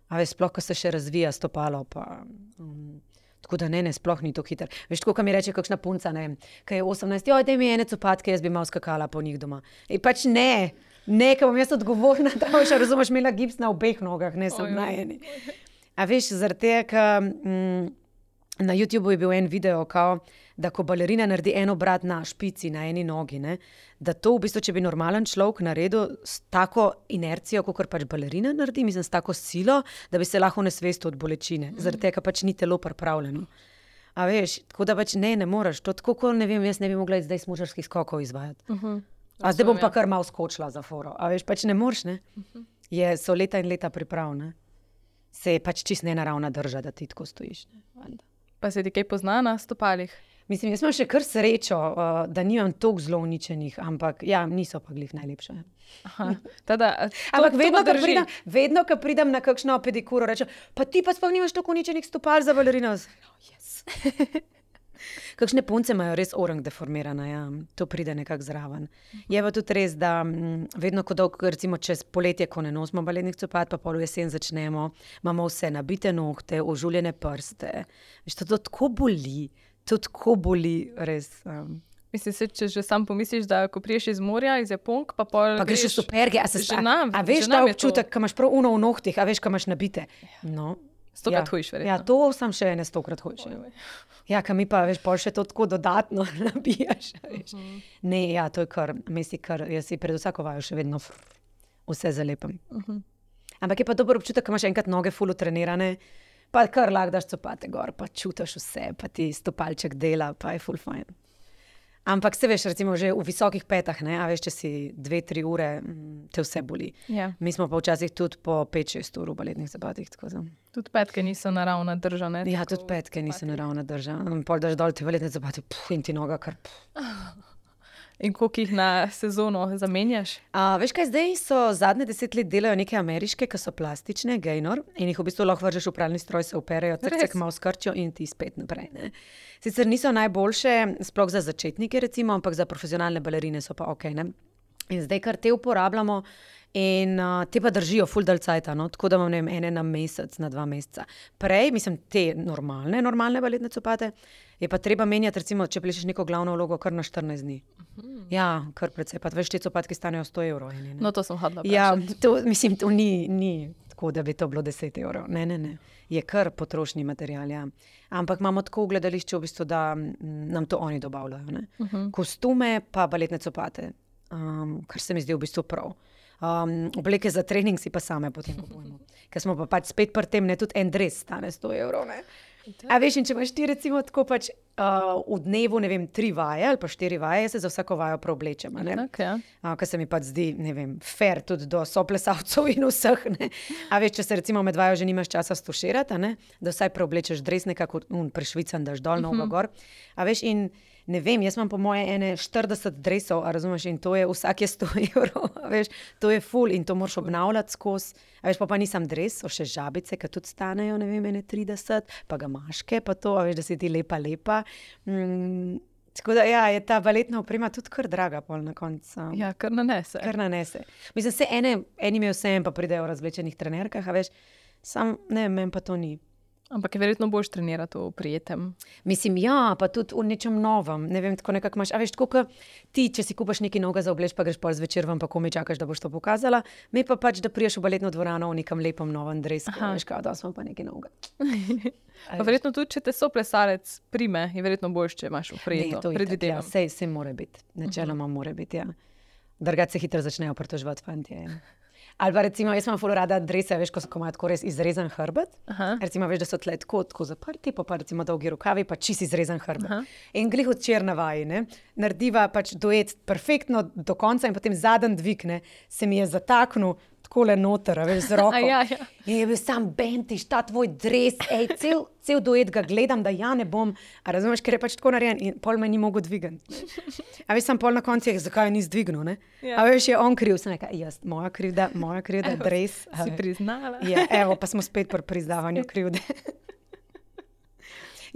S1: A veš, sploh, ko se še razvija stopalo, pa... Um, tako da ne, ne, sploh ni to hiter. Veš, tako, ko mi reče kakšna punca, ne, kaj je osemnajst, joj, daj mi ene copatke, jaz bi malo skakala po njih doma. In pač ne, ne, ker bom jaz odgovorna, da boš, razumeš, imela gips na obeh nogah, ne, sem na eni. A veš, zaradi tega, ker... Mm, na YouTubeu je bil en video, kao, da ko balerina naredi en obrat na špici, na eni nogi, ne, da to v bistvu, če bi normalen človek naredil s tako inercijo, kakor pač balerina naredi, mislim, s tako silo, da bi se lahko nesvestil od bolečine. Mm. Zaradi tega pač ni telo pripravljeno. A veš, tako da pač ne, ne moreš. To tako, ko ne vem, jaz ne bi mogla zdaj smučarskih skokov izvajati. Uh-huh. A zdaj bom pa kar malo skočila za foro. A veš, pač ne moreš, ne. Uh-huh. Je, so leta in leta priprav, ne. Se je pač čist nenaravna drža, da ti tako stojiš, ne.
S2: Pa se ti kaj pozna na stopalih?
S1: Mislim, jaz imam še kar srečo, uh, da nimam toliko zelo uničenih, ampak ja, niso pa glih najlepše.
S2: Aha, tada, to,
S1: ampak vedno, ko pridem, vedno, ko pridem na kakšno pedikuro, rečem, pa ti pa sploh nimaš toliko uničenih stopal za balerino. Oh, yes. Kakšne punce imajo res orang deformirana, ja. To pride nekako zraven. Je pa tudi res, da m, vedno, ko dolgo, recimo čez poletje, ko ne nosimo baletnih copat, pa pol v jesen začnemo, imamo vse nabite nohte, ožuljene prste. Veš, to, to tako boli, to tako boli, res. Um.
S2: Mislim, se, če že sam pomisliš, da ko priješ iz morja, iz Japonk, pa pol
S1: pa greš v superge, a se
S2: ženam,
S1: a, a veš ta občutek, ko imaš prav uno v nohtih, a veš, ko imaš nabite. No.
S2: Stokrat
S1: ja.
S2: hujš, verjetno.
S1: Ja, to sem še ene stokrat hujš. Ja, ka mi pa, veš, pol še to tako dodatno nabijaš, veš. Uh-huh. Ne, ja, to je kar, misli kar, jaz si pred vsako vajo še vedno fr, vse zalepam. Uh-huh. Ampak je pa dober občutek, ko imaš enkrat noge ful utrenirane, pa kar lahko daš copate gor, pa čutiš vse, pa ti stopalček dela, pa je ful fajn. Ampak se veš, recimo že v visokih petah, ne, a veš, če si dve, tri ure, te vse boli.
S2: Ja.
S1: Mi smo pa včasih tudi po pet, šest ur v baletnih zapatih, tako da.
S2: Tudi petke niso naravna drža, ne?
S1: Ja, tudi petke niso naravna drža. Pol daš dol te baletne zapate, puh, in ti noga kar puh.
S2: In koliko jih na sezono zamenjaš?
S1: A, veš kaj, zdaj so zadnje deset let delajo neke ameriške, ki so plastične, Gaynor, in jih v bistvu lahko vržeš v pralni stroj, se operejo, crcek malo skrčijo in ti spet naprej, ne. Sicer niso najboljše, sploh za začetnike recimo, ampak za profesionalne balerine so pa okej, ne. In zdaj, kar te uporabljamo, In uh, te pa držijo ful dal cajta, no? Tako da imam ne vem, ene na mesec, na dva meseca. Prej, mislim, te normalne, normalne baletne copate, je pa treba menjati, recimo, če plešeš neko glavno vlogo kar na štirinajst dni. Uh-huh. Ja, kar precej. Pa veš, te copatke stanejo sto evrov. Eni,
S2: no, to sem hodila vprašati.
S1: Ja, to, mislim, to ni, ni tako, da bi to bilo deset evrov. Ne, ne, ne. Je kar potrošni material, ja. Ampak imamo tako v gledališču, v bistvu, da nam to oni dobavljajo. Ne? Uh-huh. Kostume pa baletne copate, um, kar se mi zdi v bistvu prav. Um, obleke za trening si pa same potem kupujemo. Ker smo pa pač spet pri tem, ne, tudi en dres stane sto evrov. Ne? A veš, in če imaš ti recimo tako pač uh, v dnevu, ne vem, tri vaje ali pa štiri vaje, se za vsako vajo preoblečem.
S2: Okay.
S1: Uh, kar se mi pač zdi, ne vem, fair tudi do soplesalcev in vseh. Ne? A veš, če se recimo med vajo že nimaš časa stuširati, ne? Da vsaj preoblečeš dres nekako un, prešvican, daš dol, nogo gor. A veš, in ne vem, jaz imam po moje ene štirideset dresov, a razumeš, in to je vsak je sto evrov, a veš, to je ful in to moraš obnavljati skozi. A veš, pa pa nisem dres, so še žabice, ki tudi stanejo, ne vem, ene trideset, pa ga maške, pa to, a veš, da si ti lepa, lepa. Mm, tako da, ja, je ta baletna oprema tudi kar draga pol na koncu.
S2: Ja, kar nanese.
S1: Kar nanese. Mislim, se ene, eni me vsem pa pridejo v razvlečenih trenerkah, a veš, sam, ne, meni pa to ni.
S2: Ampak je verjetno boš trenirati v prijetem.
S1: Mislim, ja, pa tudi v nečem novem. Ne vem, tako nekako imaš. A veš, tako kot ti, če si kupaš nekaj novega za obleč, pa greš pol zvečer ven, pa komaj čakaš, da boš to pokazala. Me pa pač, da priješ v baletno dvorano v nekem lepem novem dresku. Veš, kao, da smo pa nekaj novega.
S2: Pa verjetno tudi, če te soplesalec prime, je verjetno boljš, če imaš v prijeto.
S1: Ja, sej, sej more biti. Načeloma uh-huh. more biti, ja. Drugače se hitro začnejo pritoževati fantje. Ali pa recimo, jaz imam ful rada drese, veš, ko so imajo tako res izrezan hrbet. Aha. Recimo, veš, da so tle tako, tako zaprti, pa, pa recimo dolgi rokavi, pa čist izrezan hrbet. Aha. In glih včeraj na vaji, ne, narediva pač duet perfektno do konca in potem zadnji dvig, ne, se mi je zataknil takole noter, veš, z roko.
S2: Ja, ja.
S1: In je bil sam Bentiš, ta tvoj dres, ej, cel, cel duet ga gledam, da ja ne bom, a razumeš, ker je pač tako narejen in pol me ni mogel dvigati. A veš, sam pol na koncu je, zakaj je ni zdvignil, ne? Ja. A veš, je on kriv, sem nekaj, jaz, moja krivda, moja krivda, evo, dres.
S2: Si priznala.
S1: Ja, evo, pa smo spet pri priznavanju krivde.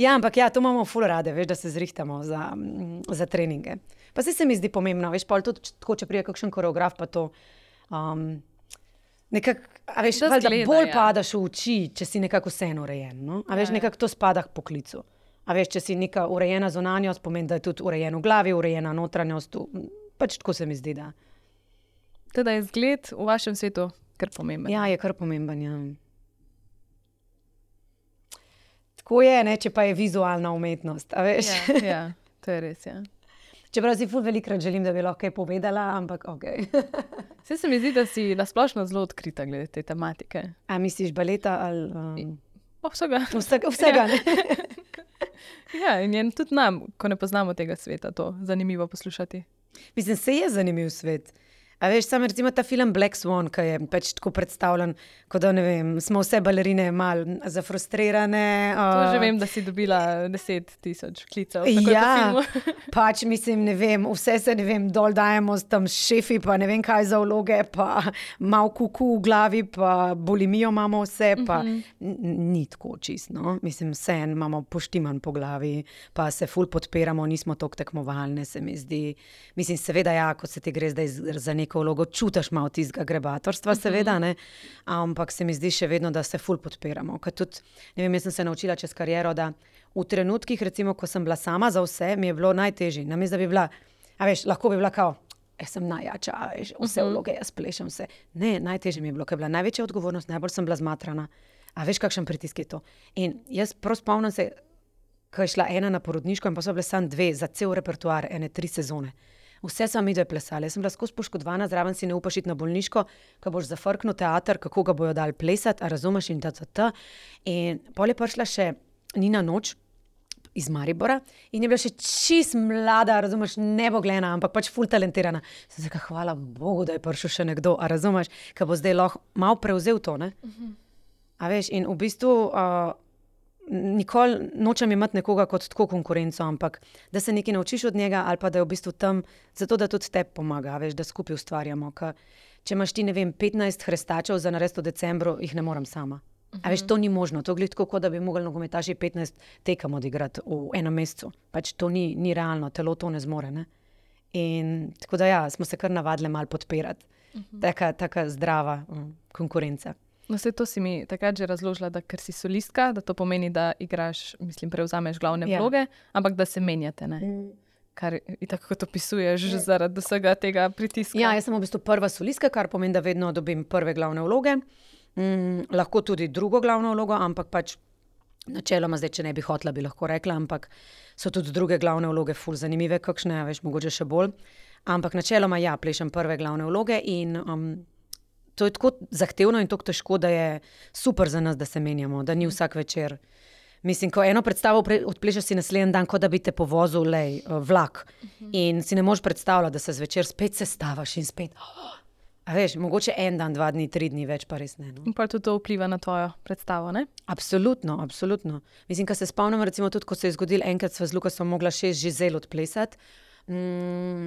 S1: Ja, ampak ja, to imamo ful rade, veš, da se zrihtamo za, za treninge. Pa se se mi zdi pomembno, veš, pol tudi, tako, če prije kakšen koreograf, pa to... Um, Nekako, a veš, da gleda, bolj ja. Padaš v oči, če si nekako vseeno urejen. No? A veš, ja, nekako to spada k poklicu. A veš, če si neka urejena zunanjost, pomeni, da je tudi urejen v glavi, urejena notranjost. Pač tako se mi zdi, da.
S2: Teda je zgled v vašem svetu kar pomemben.
S1: Ja, je kar pomemben, ja. Tako je, ne, če pa je vizualna umetnost, a veš.
S2: Ja, ja, to je res, ja.
S1: Čeprav si ful velikrat želim, da bi lahko kaj povedala, ampak okej. Okay.
S2: Vse se mi zdi, da si nasplošno zelo odkrita glede te tematike.
S1: A misliš baleta ali... Um...
S2: O, vsega.
S1: Vsega, vsega
S2: ja. Ne? Ja, in je tudi nam, ko ne poznamo tega sveta, to zanimivo poslušati.
S1: Mislim, se je zanimiv svet. A veš, sam recimo ta film Black Swan, ki je pač tako predstavljen, kot da, ne vem, smo vse balerine malo zafrustrirane.
S2: Uh... To že vem, da si dobila deset tisoč klicev.
S1: Ja, pač mislim, ne vem, vse se, ne vem, dol dajemo s tam šefi, pa ne vem kaj za vloge, pa malo kuku v glavi, pa bulimijo imamo vse, pa mm-hmm. ni tako čisto, no? Mislim, vse imamo poštiman po glavi, pa se ful podpiramo, nismo toliko tekmovalne, se mi zdi. Mislim, seveda ja, ko se ti gre zdaj za nek vlogo, čutiš malo tistega grebatorstva, seveda, ne? Ampak se mi zdi še vedno, da se ful podpiramo. Ker tudi, ne vem, jaz sem se naučila čez kariero, da v trenutkih, recimo, ko sem bila sama za vse, mi je bilo najtežje. Namesto da bi bila, a veš, lahko bi bila kao, jaz sem najjača, a veš, vse vloge, jaz plešem vse. Ne, najtežje mi je bilo, ker je bila največja odgovornost, najbolj sem bila zmatrana. A veš, kakšen pritisk je to? In jaz prav spomnim se, ko je šla ena na porodniško in pa so bile samo dve za cel repertoar, ene tri sezone. Vse sem mi dve plesali. Jaz sem bila skozi poškodovana, zraven si ne upaš iti na bolniško, ko boš zafrknil teater, kako ga bojo dali plesati, a razumeš in ta, ta, ta. In pol je prišla še Nina Noč iz Maribora in je bila še čist mlada, razumeš, neboglena, ampak pač ful talentirana. Sem se rekla, hvala Bogu, da je prišel še nekdo, a razumeš, ko bo zdaj lahko malo prevzel to, ne? Uh-huh. A veš, in v bistvu... Uh, nikoli nočem imeti nekoga kot tako konkurenco, ampak da se nekaj naučiš od njega ali pa da je v bistvu tam, zato da tudi tebi pomaga, veš, da skupaj ustvarjamo. Ka, če imaš ti, ne vem, petnajst hrestačev za narediti v decembru, jih ne morem sama. Uh-huh. A veš, to ni možno. To gleda tako, da bi mogli nogometaši petnajst tekem odigrati v enem mesecu. Pač to ni, ni realno, telo to ne zmore. Ne? In tako da ja, smo se kar navadili malo podpirati. uh-huh. taka, taka zdrava um, konkurenca.
S2: No, vse to si mi takrat že razložila, da ker si solistka, da to pomeni, da igraš, mislim, prevzameš glavne
S1: Ja.
S2: vloge, ampak da se menjate, ne?
S1: Mm.
S2: Kar itak kot opisuješ že zaradi vsega tega pritiska.
S1: Ja, jaz sem v bistvu prva solistka, kar pomeni, da vedno dobim prve glavne vloge. Mm, lahko tudi drugo glavno vlogo, ampak pač načeloma, zdaj, če ne bi hotla, bi lahko rekla, ampak so tudi druge glavne vloge ful zanimive, kakšne, veš, mogoče še bolj. Ampak načeloma ja, plešem prve glavne vloge in um, to je tako zahtevno in tako težko, da je super za nas, da se menjamo, da ni vsak večer. Mislim, ko eno predstavo odplešeš si naslednji dan, kot da bi te povozil lej, vlak. Uh-huh. In si ne moreš predstavljati, da se zvečer spet sestavaš in spet. Oh, a veš, mogoče en dan, dva dni, tri dni, več pa res ne. No?
S2: In pa tudi to vpliva na tvojo predstavo, ne?
S1: Absolutno, absolutno. Mislim, ko se spomnim, recimo tudi, ko se je zgodil enkrat sva z Lukasom mogla šest žizel odplesati, mm,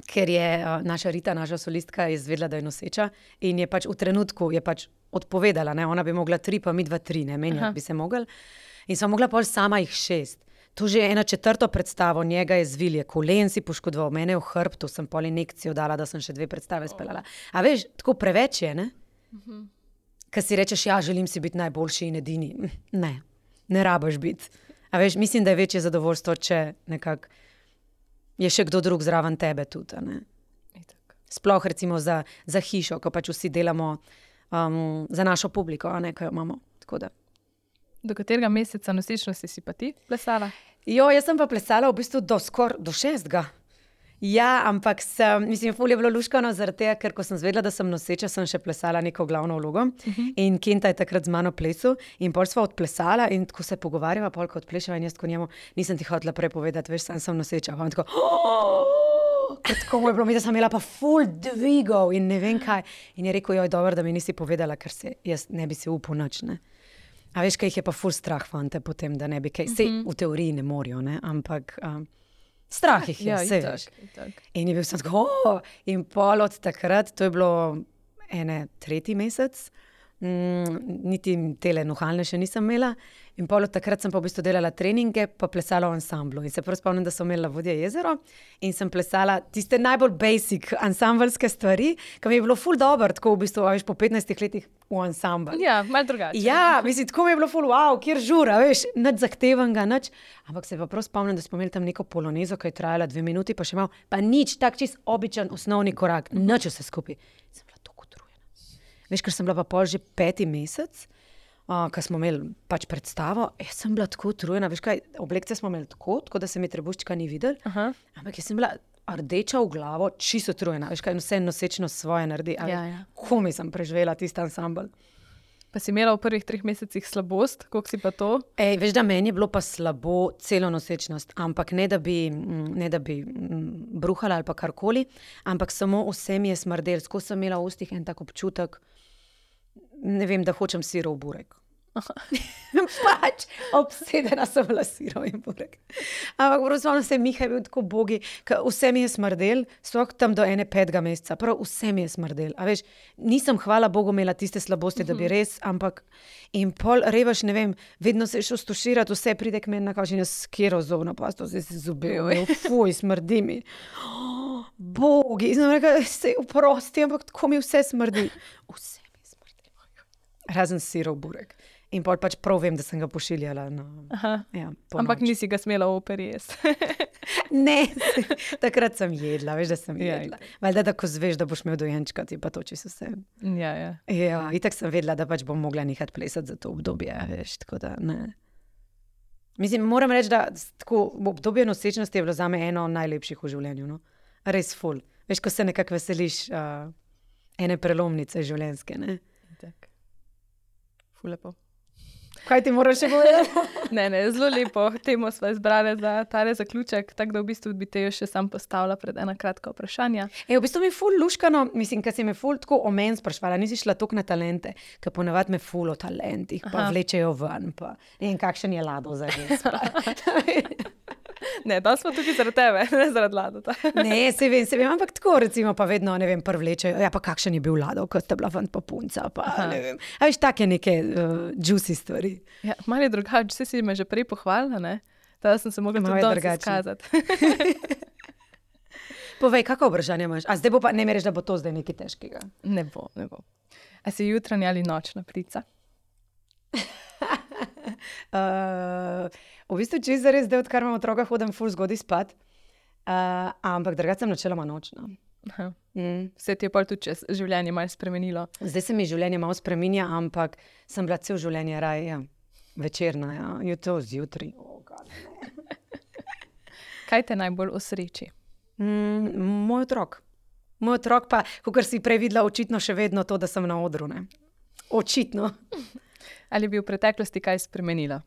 S1: ker je uh, naša Rita, naša solistka, izvedela, da je noseča in je pač v trenutku je pač odpovedala, ne? Ona bi mogla tri, pa mi dva tri, ne, menjati bi se mogli. In sva mogla pol sama jih šest. To že je ena četrto predstavo, njega je zvilje, kolen si poškodoval, mene v hrbtu, sem pol injekcijo dala, da sem še dve predstave speljala. A veš, tako preveč je, ne? Uh-huh. Ker si rečeš, ja, želim si biti najboljši in edini. Ne, ne rabiš biti. A veš, mislim, da je večje zadovoljstvo, če nekako je še kdo drug zraven tebe tudi, ne? Sploh recimo za, za hišo, ko pač vsi delamo um, za našo publiko, a ne, ko jo imamo, tako da.
S2: Do katerega meseca nosečnosti si pa ti plesala?
S1: Jo, jaz sem pa plesala v bistvu do skor, do šestega. Ja, ampak sem, mislim, ful je bilo luškano zaradi tega, ker ko sem zvedela, da sem noseča, sem še plesala neko glavno vlogo. Uh-huh. In Kenta je takrat z mano plesal in pol sva odplesala in tako se pogovarjava, pol ko odplešava in jaz tako njemu, nisem ti hotela prej povedati, veš, sam sem noseča. Pa on tako, oh! Tako mu je bilo, mi da sem imela pa ful dvigov in ne vem kaj. In je rekel, joj, dobro, da mi nisi povedala, ker se jaz ne bi si upal nič, ne. A veš, kaj jih je pa ful strah fante potem, da ne bi kaj, sej v teoriji ne morajo, ne, ampak um, strah jih je,
S2: Ja,
S1: sej
S2: itak,
S1: veš.
S2: itak.
S1: In je bil sem tako, oh! In pol od takrat, to je bilo ene tretji mesec, mm, niti tele nuhalne še nisem imela, in pol od takrat sem pa v bistvu delala treninge, pa plesala v ansamblu. In se prav spomnim, da sem imela Vodje jezero in sem plesala tiste najbolj basic ansambelske stvari, ki mi je bilo ful dobro, tako v bistvu, a veš, po petnajstih letih v ansambl.
S2: Ja, malo drugače.
S1: Ja, mislim, tako mi je bilo ful, wow, kjer žura, veš, nič zahtevanega, nič. Ampak se pa prav spomnim, da smo imeli tam neko polonezo, ki je trajala dve minuti, pa še malo, pa nič, tak čist običen osnovni korak, nič vse skupaj. Sem bila tako utrujena. Veš, ker sem bila pa pol že peti mesec, uh, ko smo imeli pač predstavo, jaz sem bila tako utrujena, veš kaj, oblekce smo imeli tako, tako da se mi trebuščka ni videl,
S2: Aha.
S1: ampak jaz sem bila rdeča v glavo, čisto utrujena, veš kaj, vse nosečno svoje naredi, a
S2: Ja,
S1: veš,
S2: ja.
S1: komi sem preživela tisti ansambl.
S2: Pa si imela v prvih treh mesecih slabost, koliko si pa to?
S1: Ej, veš, da meni je bilo pa slabo celo nosečnost, ampak ne da bi, mm, ne da bi mm, bruhala ali pa karkoli, ampak samo vse mi je smrdelo. Skozi sem imela v ustih en tak občutek, ne vem, da hočem sirov burek. Pač, obsedena sem bila sirov in burek. Ampak pravzaprav se Miha je bil tako bogi, ker vse mi je smrdel, sploh tam do ene petega meseca, prav vse mi je smrdel. A veš, nisem, hvala Bogu, imela tiste slabosti, da bi res, ampak in pol revaš, ne vem, vedno se šel stuširati, vse pride k meni na kavč in jaz s kero zobno pasto, zdaj se zubejo, fuj, smrdi mi. Oh, bogi, sem rekla, se oprosti, ampak tako mi vse smrdi. Vse mi smrdi. Razen sirov burek. In pol pač prav vem, da sem ga pošiljala. Na,
S2: Aha.
S1: ja,
S2: Ampak
S1: ponoči.
S2: nisi ga smela v operi jesti.
S1: Ne, takrat sem jedla, veš, da sem
S2: Ja,
S1: jedla. Valjda, da ko zveš, da boš imel dojenčka, ti pa toči so vse.
S2: Ja, ja.
S1: Ja, itak sem vedela, da pač bom mogla nehati plesati za to obdobje, veš, tako da ne. Mislim, moram reči, da s- tako obdobje nosečnosti je bilo zame eno najlepših v življenju, no. Res ful. Veš, ko se nekako veseliš uh, ene prelomnice življenjske, ne.
S2: Tak. Ful lepo.
S1: Kaj ti moraš še povedati?
S2: Ne, ne, zelo lepo. Temo smo izbrali za tale zaključek, tako da v bistvu bi te jo še sam postavila pred ena kratka vprašanja.
S1: E, v bistvu mi je ful luškano, mislim, ker si me ful tako o meni sprašvala, nisi šla toliko na talente, ker ponavadi me ful o talentih, pa
S2: Aha.
S1: vlečejo ven, pa ne vem, kakšen je Lado za res. pa.
S2: Ne, da smo tukaj zaradi tebe, ne zaradi Ladota.
S1: Ne, se vem, se vem, ampak tako recimo pa vedno, ne vem, prvlečejo, ja pa kakšen je bil Lado, ko sta bila fant pa punca, pa
S2: Aha.
S1: ne vem. A veš, take neke uh, juicy stvari.
S2: Ja, malo je drugače, vse si me že prej pohvalila, ne? Tada sem se mogla
S1: Malo
S2: tudi
S1: je
S2: danes
S1: drugače.
S2: izkazati.
S1: povej, kako vprašanje imaš? A zdaj bo pa, ne mi reči, da bo to zdaj nekaj težkega.
S2: Ne bo, ne bo. A si jutranja ali nočna ptica?
S1: uh, v bistvu, če zares zdaj, odkar imam otroka, hodim ful zgodaj spat, uh, ampak drugače sem načeloma nočna.
S2: Mm. Se ti je pol tudi čez življenje malo spremenilo?
S1: Zdaj se mi življenje malo spreminja, ampak sem bila cel življenje raj, ja, večerna, ja, jutro zjutraj. Oh, God,
S2: kaj te najbolj osreči?
S1: Mm, moj otrok. Moj otrok pa, kakor si prej videla, očitno še vedno to, da sem na odru, ne. Očitno.
S2: Ali bi v preteklosti kaj spremenila?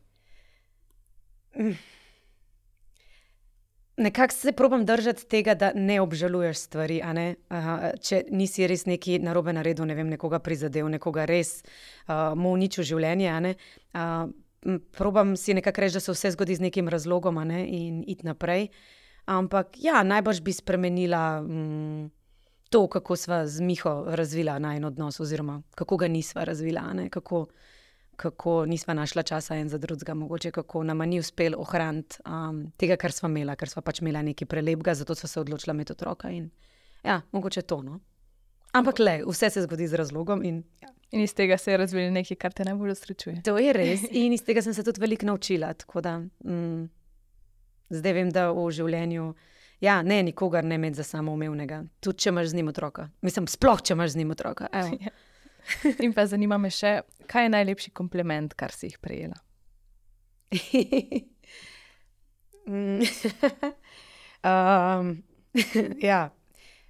S1: Mm. Nekako se probam držati tega, da ne obžaluješ stvari, a ne. Aha, če nisi res nekaj narobe naredil, ne vem, nekoga prizadel, nekoga res uh, mu uničil življenje, a ne. Uh, probam si nekako reči, da se vse zgodi z nekim razlogom, a ne, in iti naprej. Ampak ja, najbrž bi spremenila mm, to, kako sva z Miho razvila najin odnos, oziroma kako ga nisva razvila, a ne, kako, kako nisva našla časa en za drugega, mogoče kako nama ni uspel ohraniti um, tega, kar sva imela, ker sva pač imela nekaj prelepega, zato sva se odločila imeti otroka in ja, mogoče to, no. Ampak le, vse se zgodi z razlogom in ja.
S2: In iz tega se je razvilo nekaj, kar te najbolj osrečuje.
S1: To je res in iz tega sem se tudi veliko naučila, tako da mm, zdaj vem, da v življenju ja, ne nikogar ne imeti za samoumevnega, tudi če imaš z njim otroka. Mislim, sploh, če imaš z njim otroka. Evo.
S2: In pa zanima me še, kaj je najlepši kompliment, kar si jih prejela?
S1: um, ja,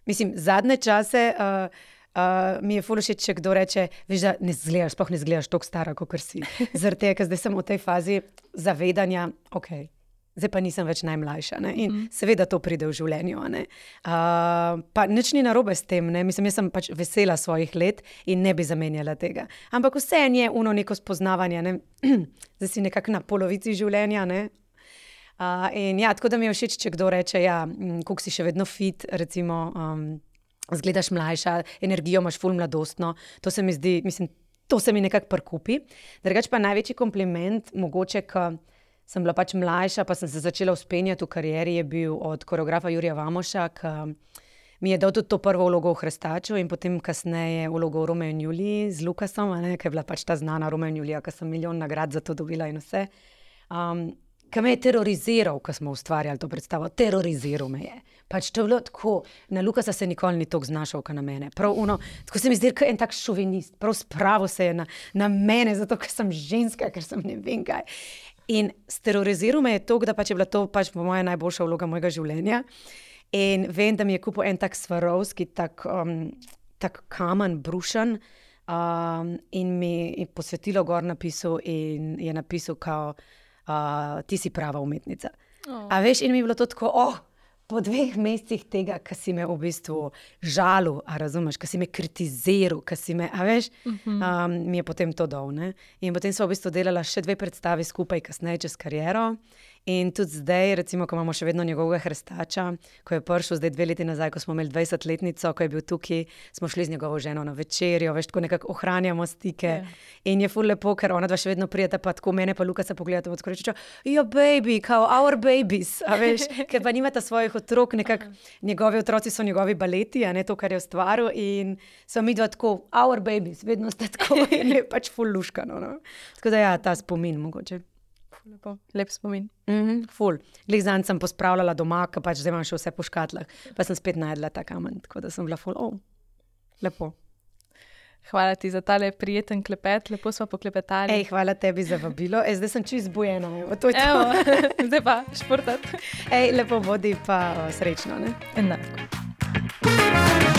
S1: mislim, zadnje čase uh, uh, mi je ful všeč, če kdo reče, veš, da ne zgledaš, sploh ne zgledaš toliko stara, kakor si. Zaradi tega, ker zdaj sem v tej fazi zavedanja, okej, zdaj pa nisem več najmlajša, ne? In mm. seveda to pride v življenju, a ne. Uh, pa nič ni narobe s tem, ne? Mislim, jaz sem pač vesela svojih let in ne bi zamenjala tega. Ampak vseeno je uno neko spoznavanje, ne? Zdaj si nekako na polovici življenja, ne? Uh, in ja, tako da mi je všeč, če kdo reče, ja, koliko si še vedno fit, recimo, um, zgledaš mlajša, energijo imaš ful mladostno, to se mi zdi, mislim, to se mi nekako prkupi. Drugače pa največji kompliment, mogoče, ko sem bila pač mlajša, pa sem se začela vzpenjati v karieri, je bil od koreografa Jurija Vamoša, ki mi je dal tudi to prvo vlogo v Hrestaču in potem kasneje vlogo v Romeo in Juliji z Lukasom, a ne, ki je bila pač ta znana Romeo in Julija, ki sem milijon nagrad za to dobila in vse. Um, ki me je teroriziral, ko smo ustvarjali to predstavo, teroriziral me je. Pač to je bilo tako, na Lukasa se nikoli ni toliko znašal, kot na mene. Prav uno, tako se mi zdi, kot en tak šovinist, prav spravil se je na, na mene, zato ker sem ženska, ker sem ne vem kaj. In teroriziral me je to, da pač je bila to pač moja najboljša vloga mojega življenja. In vem, da mi je kupil en tak Swarovski, tak, um, tak kamen, brušen, um, in mi je posvetilo gor napisal in je napisal kao, Uh, ti si prava umetnica. Oh. A veš, in mi je bilo to tako, oh, po dveh mesecih tega, ki si me v bistvu žalil, a razumeš, ki si me kritiziral, ki si me, a veš, uh-huh. um, mi je potem to dal, ne. In potem sva v bistvu delala še dve predstavi skupaj, kasneje čez kariero. In tudi zdaj, recimo, ko imamo še vedno njegovega Hrestača, ko je prišel zdaj dve leti nazaj, ko smo imeli dvajsetletnico, ko je bil tukaj, smo šli z njegovo ženo na večerjo, veš, tako nekako ohranjamo stike. Yeah. In je ful lepo, ker ona dva še vedno prijeta, pa tako mene pa Lukasa pogledata, tako reče, jo baby, kao our babies, a veš, ker pa nimata svojih otrok, nekako njegovi otroci so njegovi baleti, a ne to, kar je ustvaril, in so mi dva tako, our babies, vedno sta tako, in je pač ful luškano, no. Tako da ja, ta spomin mogoče.
S2: Lepo, lep spomin.
S1: Mm-hmm, ful. Glih zanj sem pospravljala doma, ker pač zdaj imam še vse po škatlah, pa sem spet najedla ta kamen, tako da sem bila ful, oh, lepo.
S2: Hvala ti za tale prijeten klepet, lepo smo poklepetali.
S1: Ej, hvala tebi za vabilo, Ej, zdaj sem čisto zbujena, evo, to je to.
S2: Evo, zdaj pa športat.
S1: Ej, lepo bodi pa o, srečno, ne?
S2: Enako.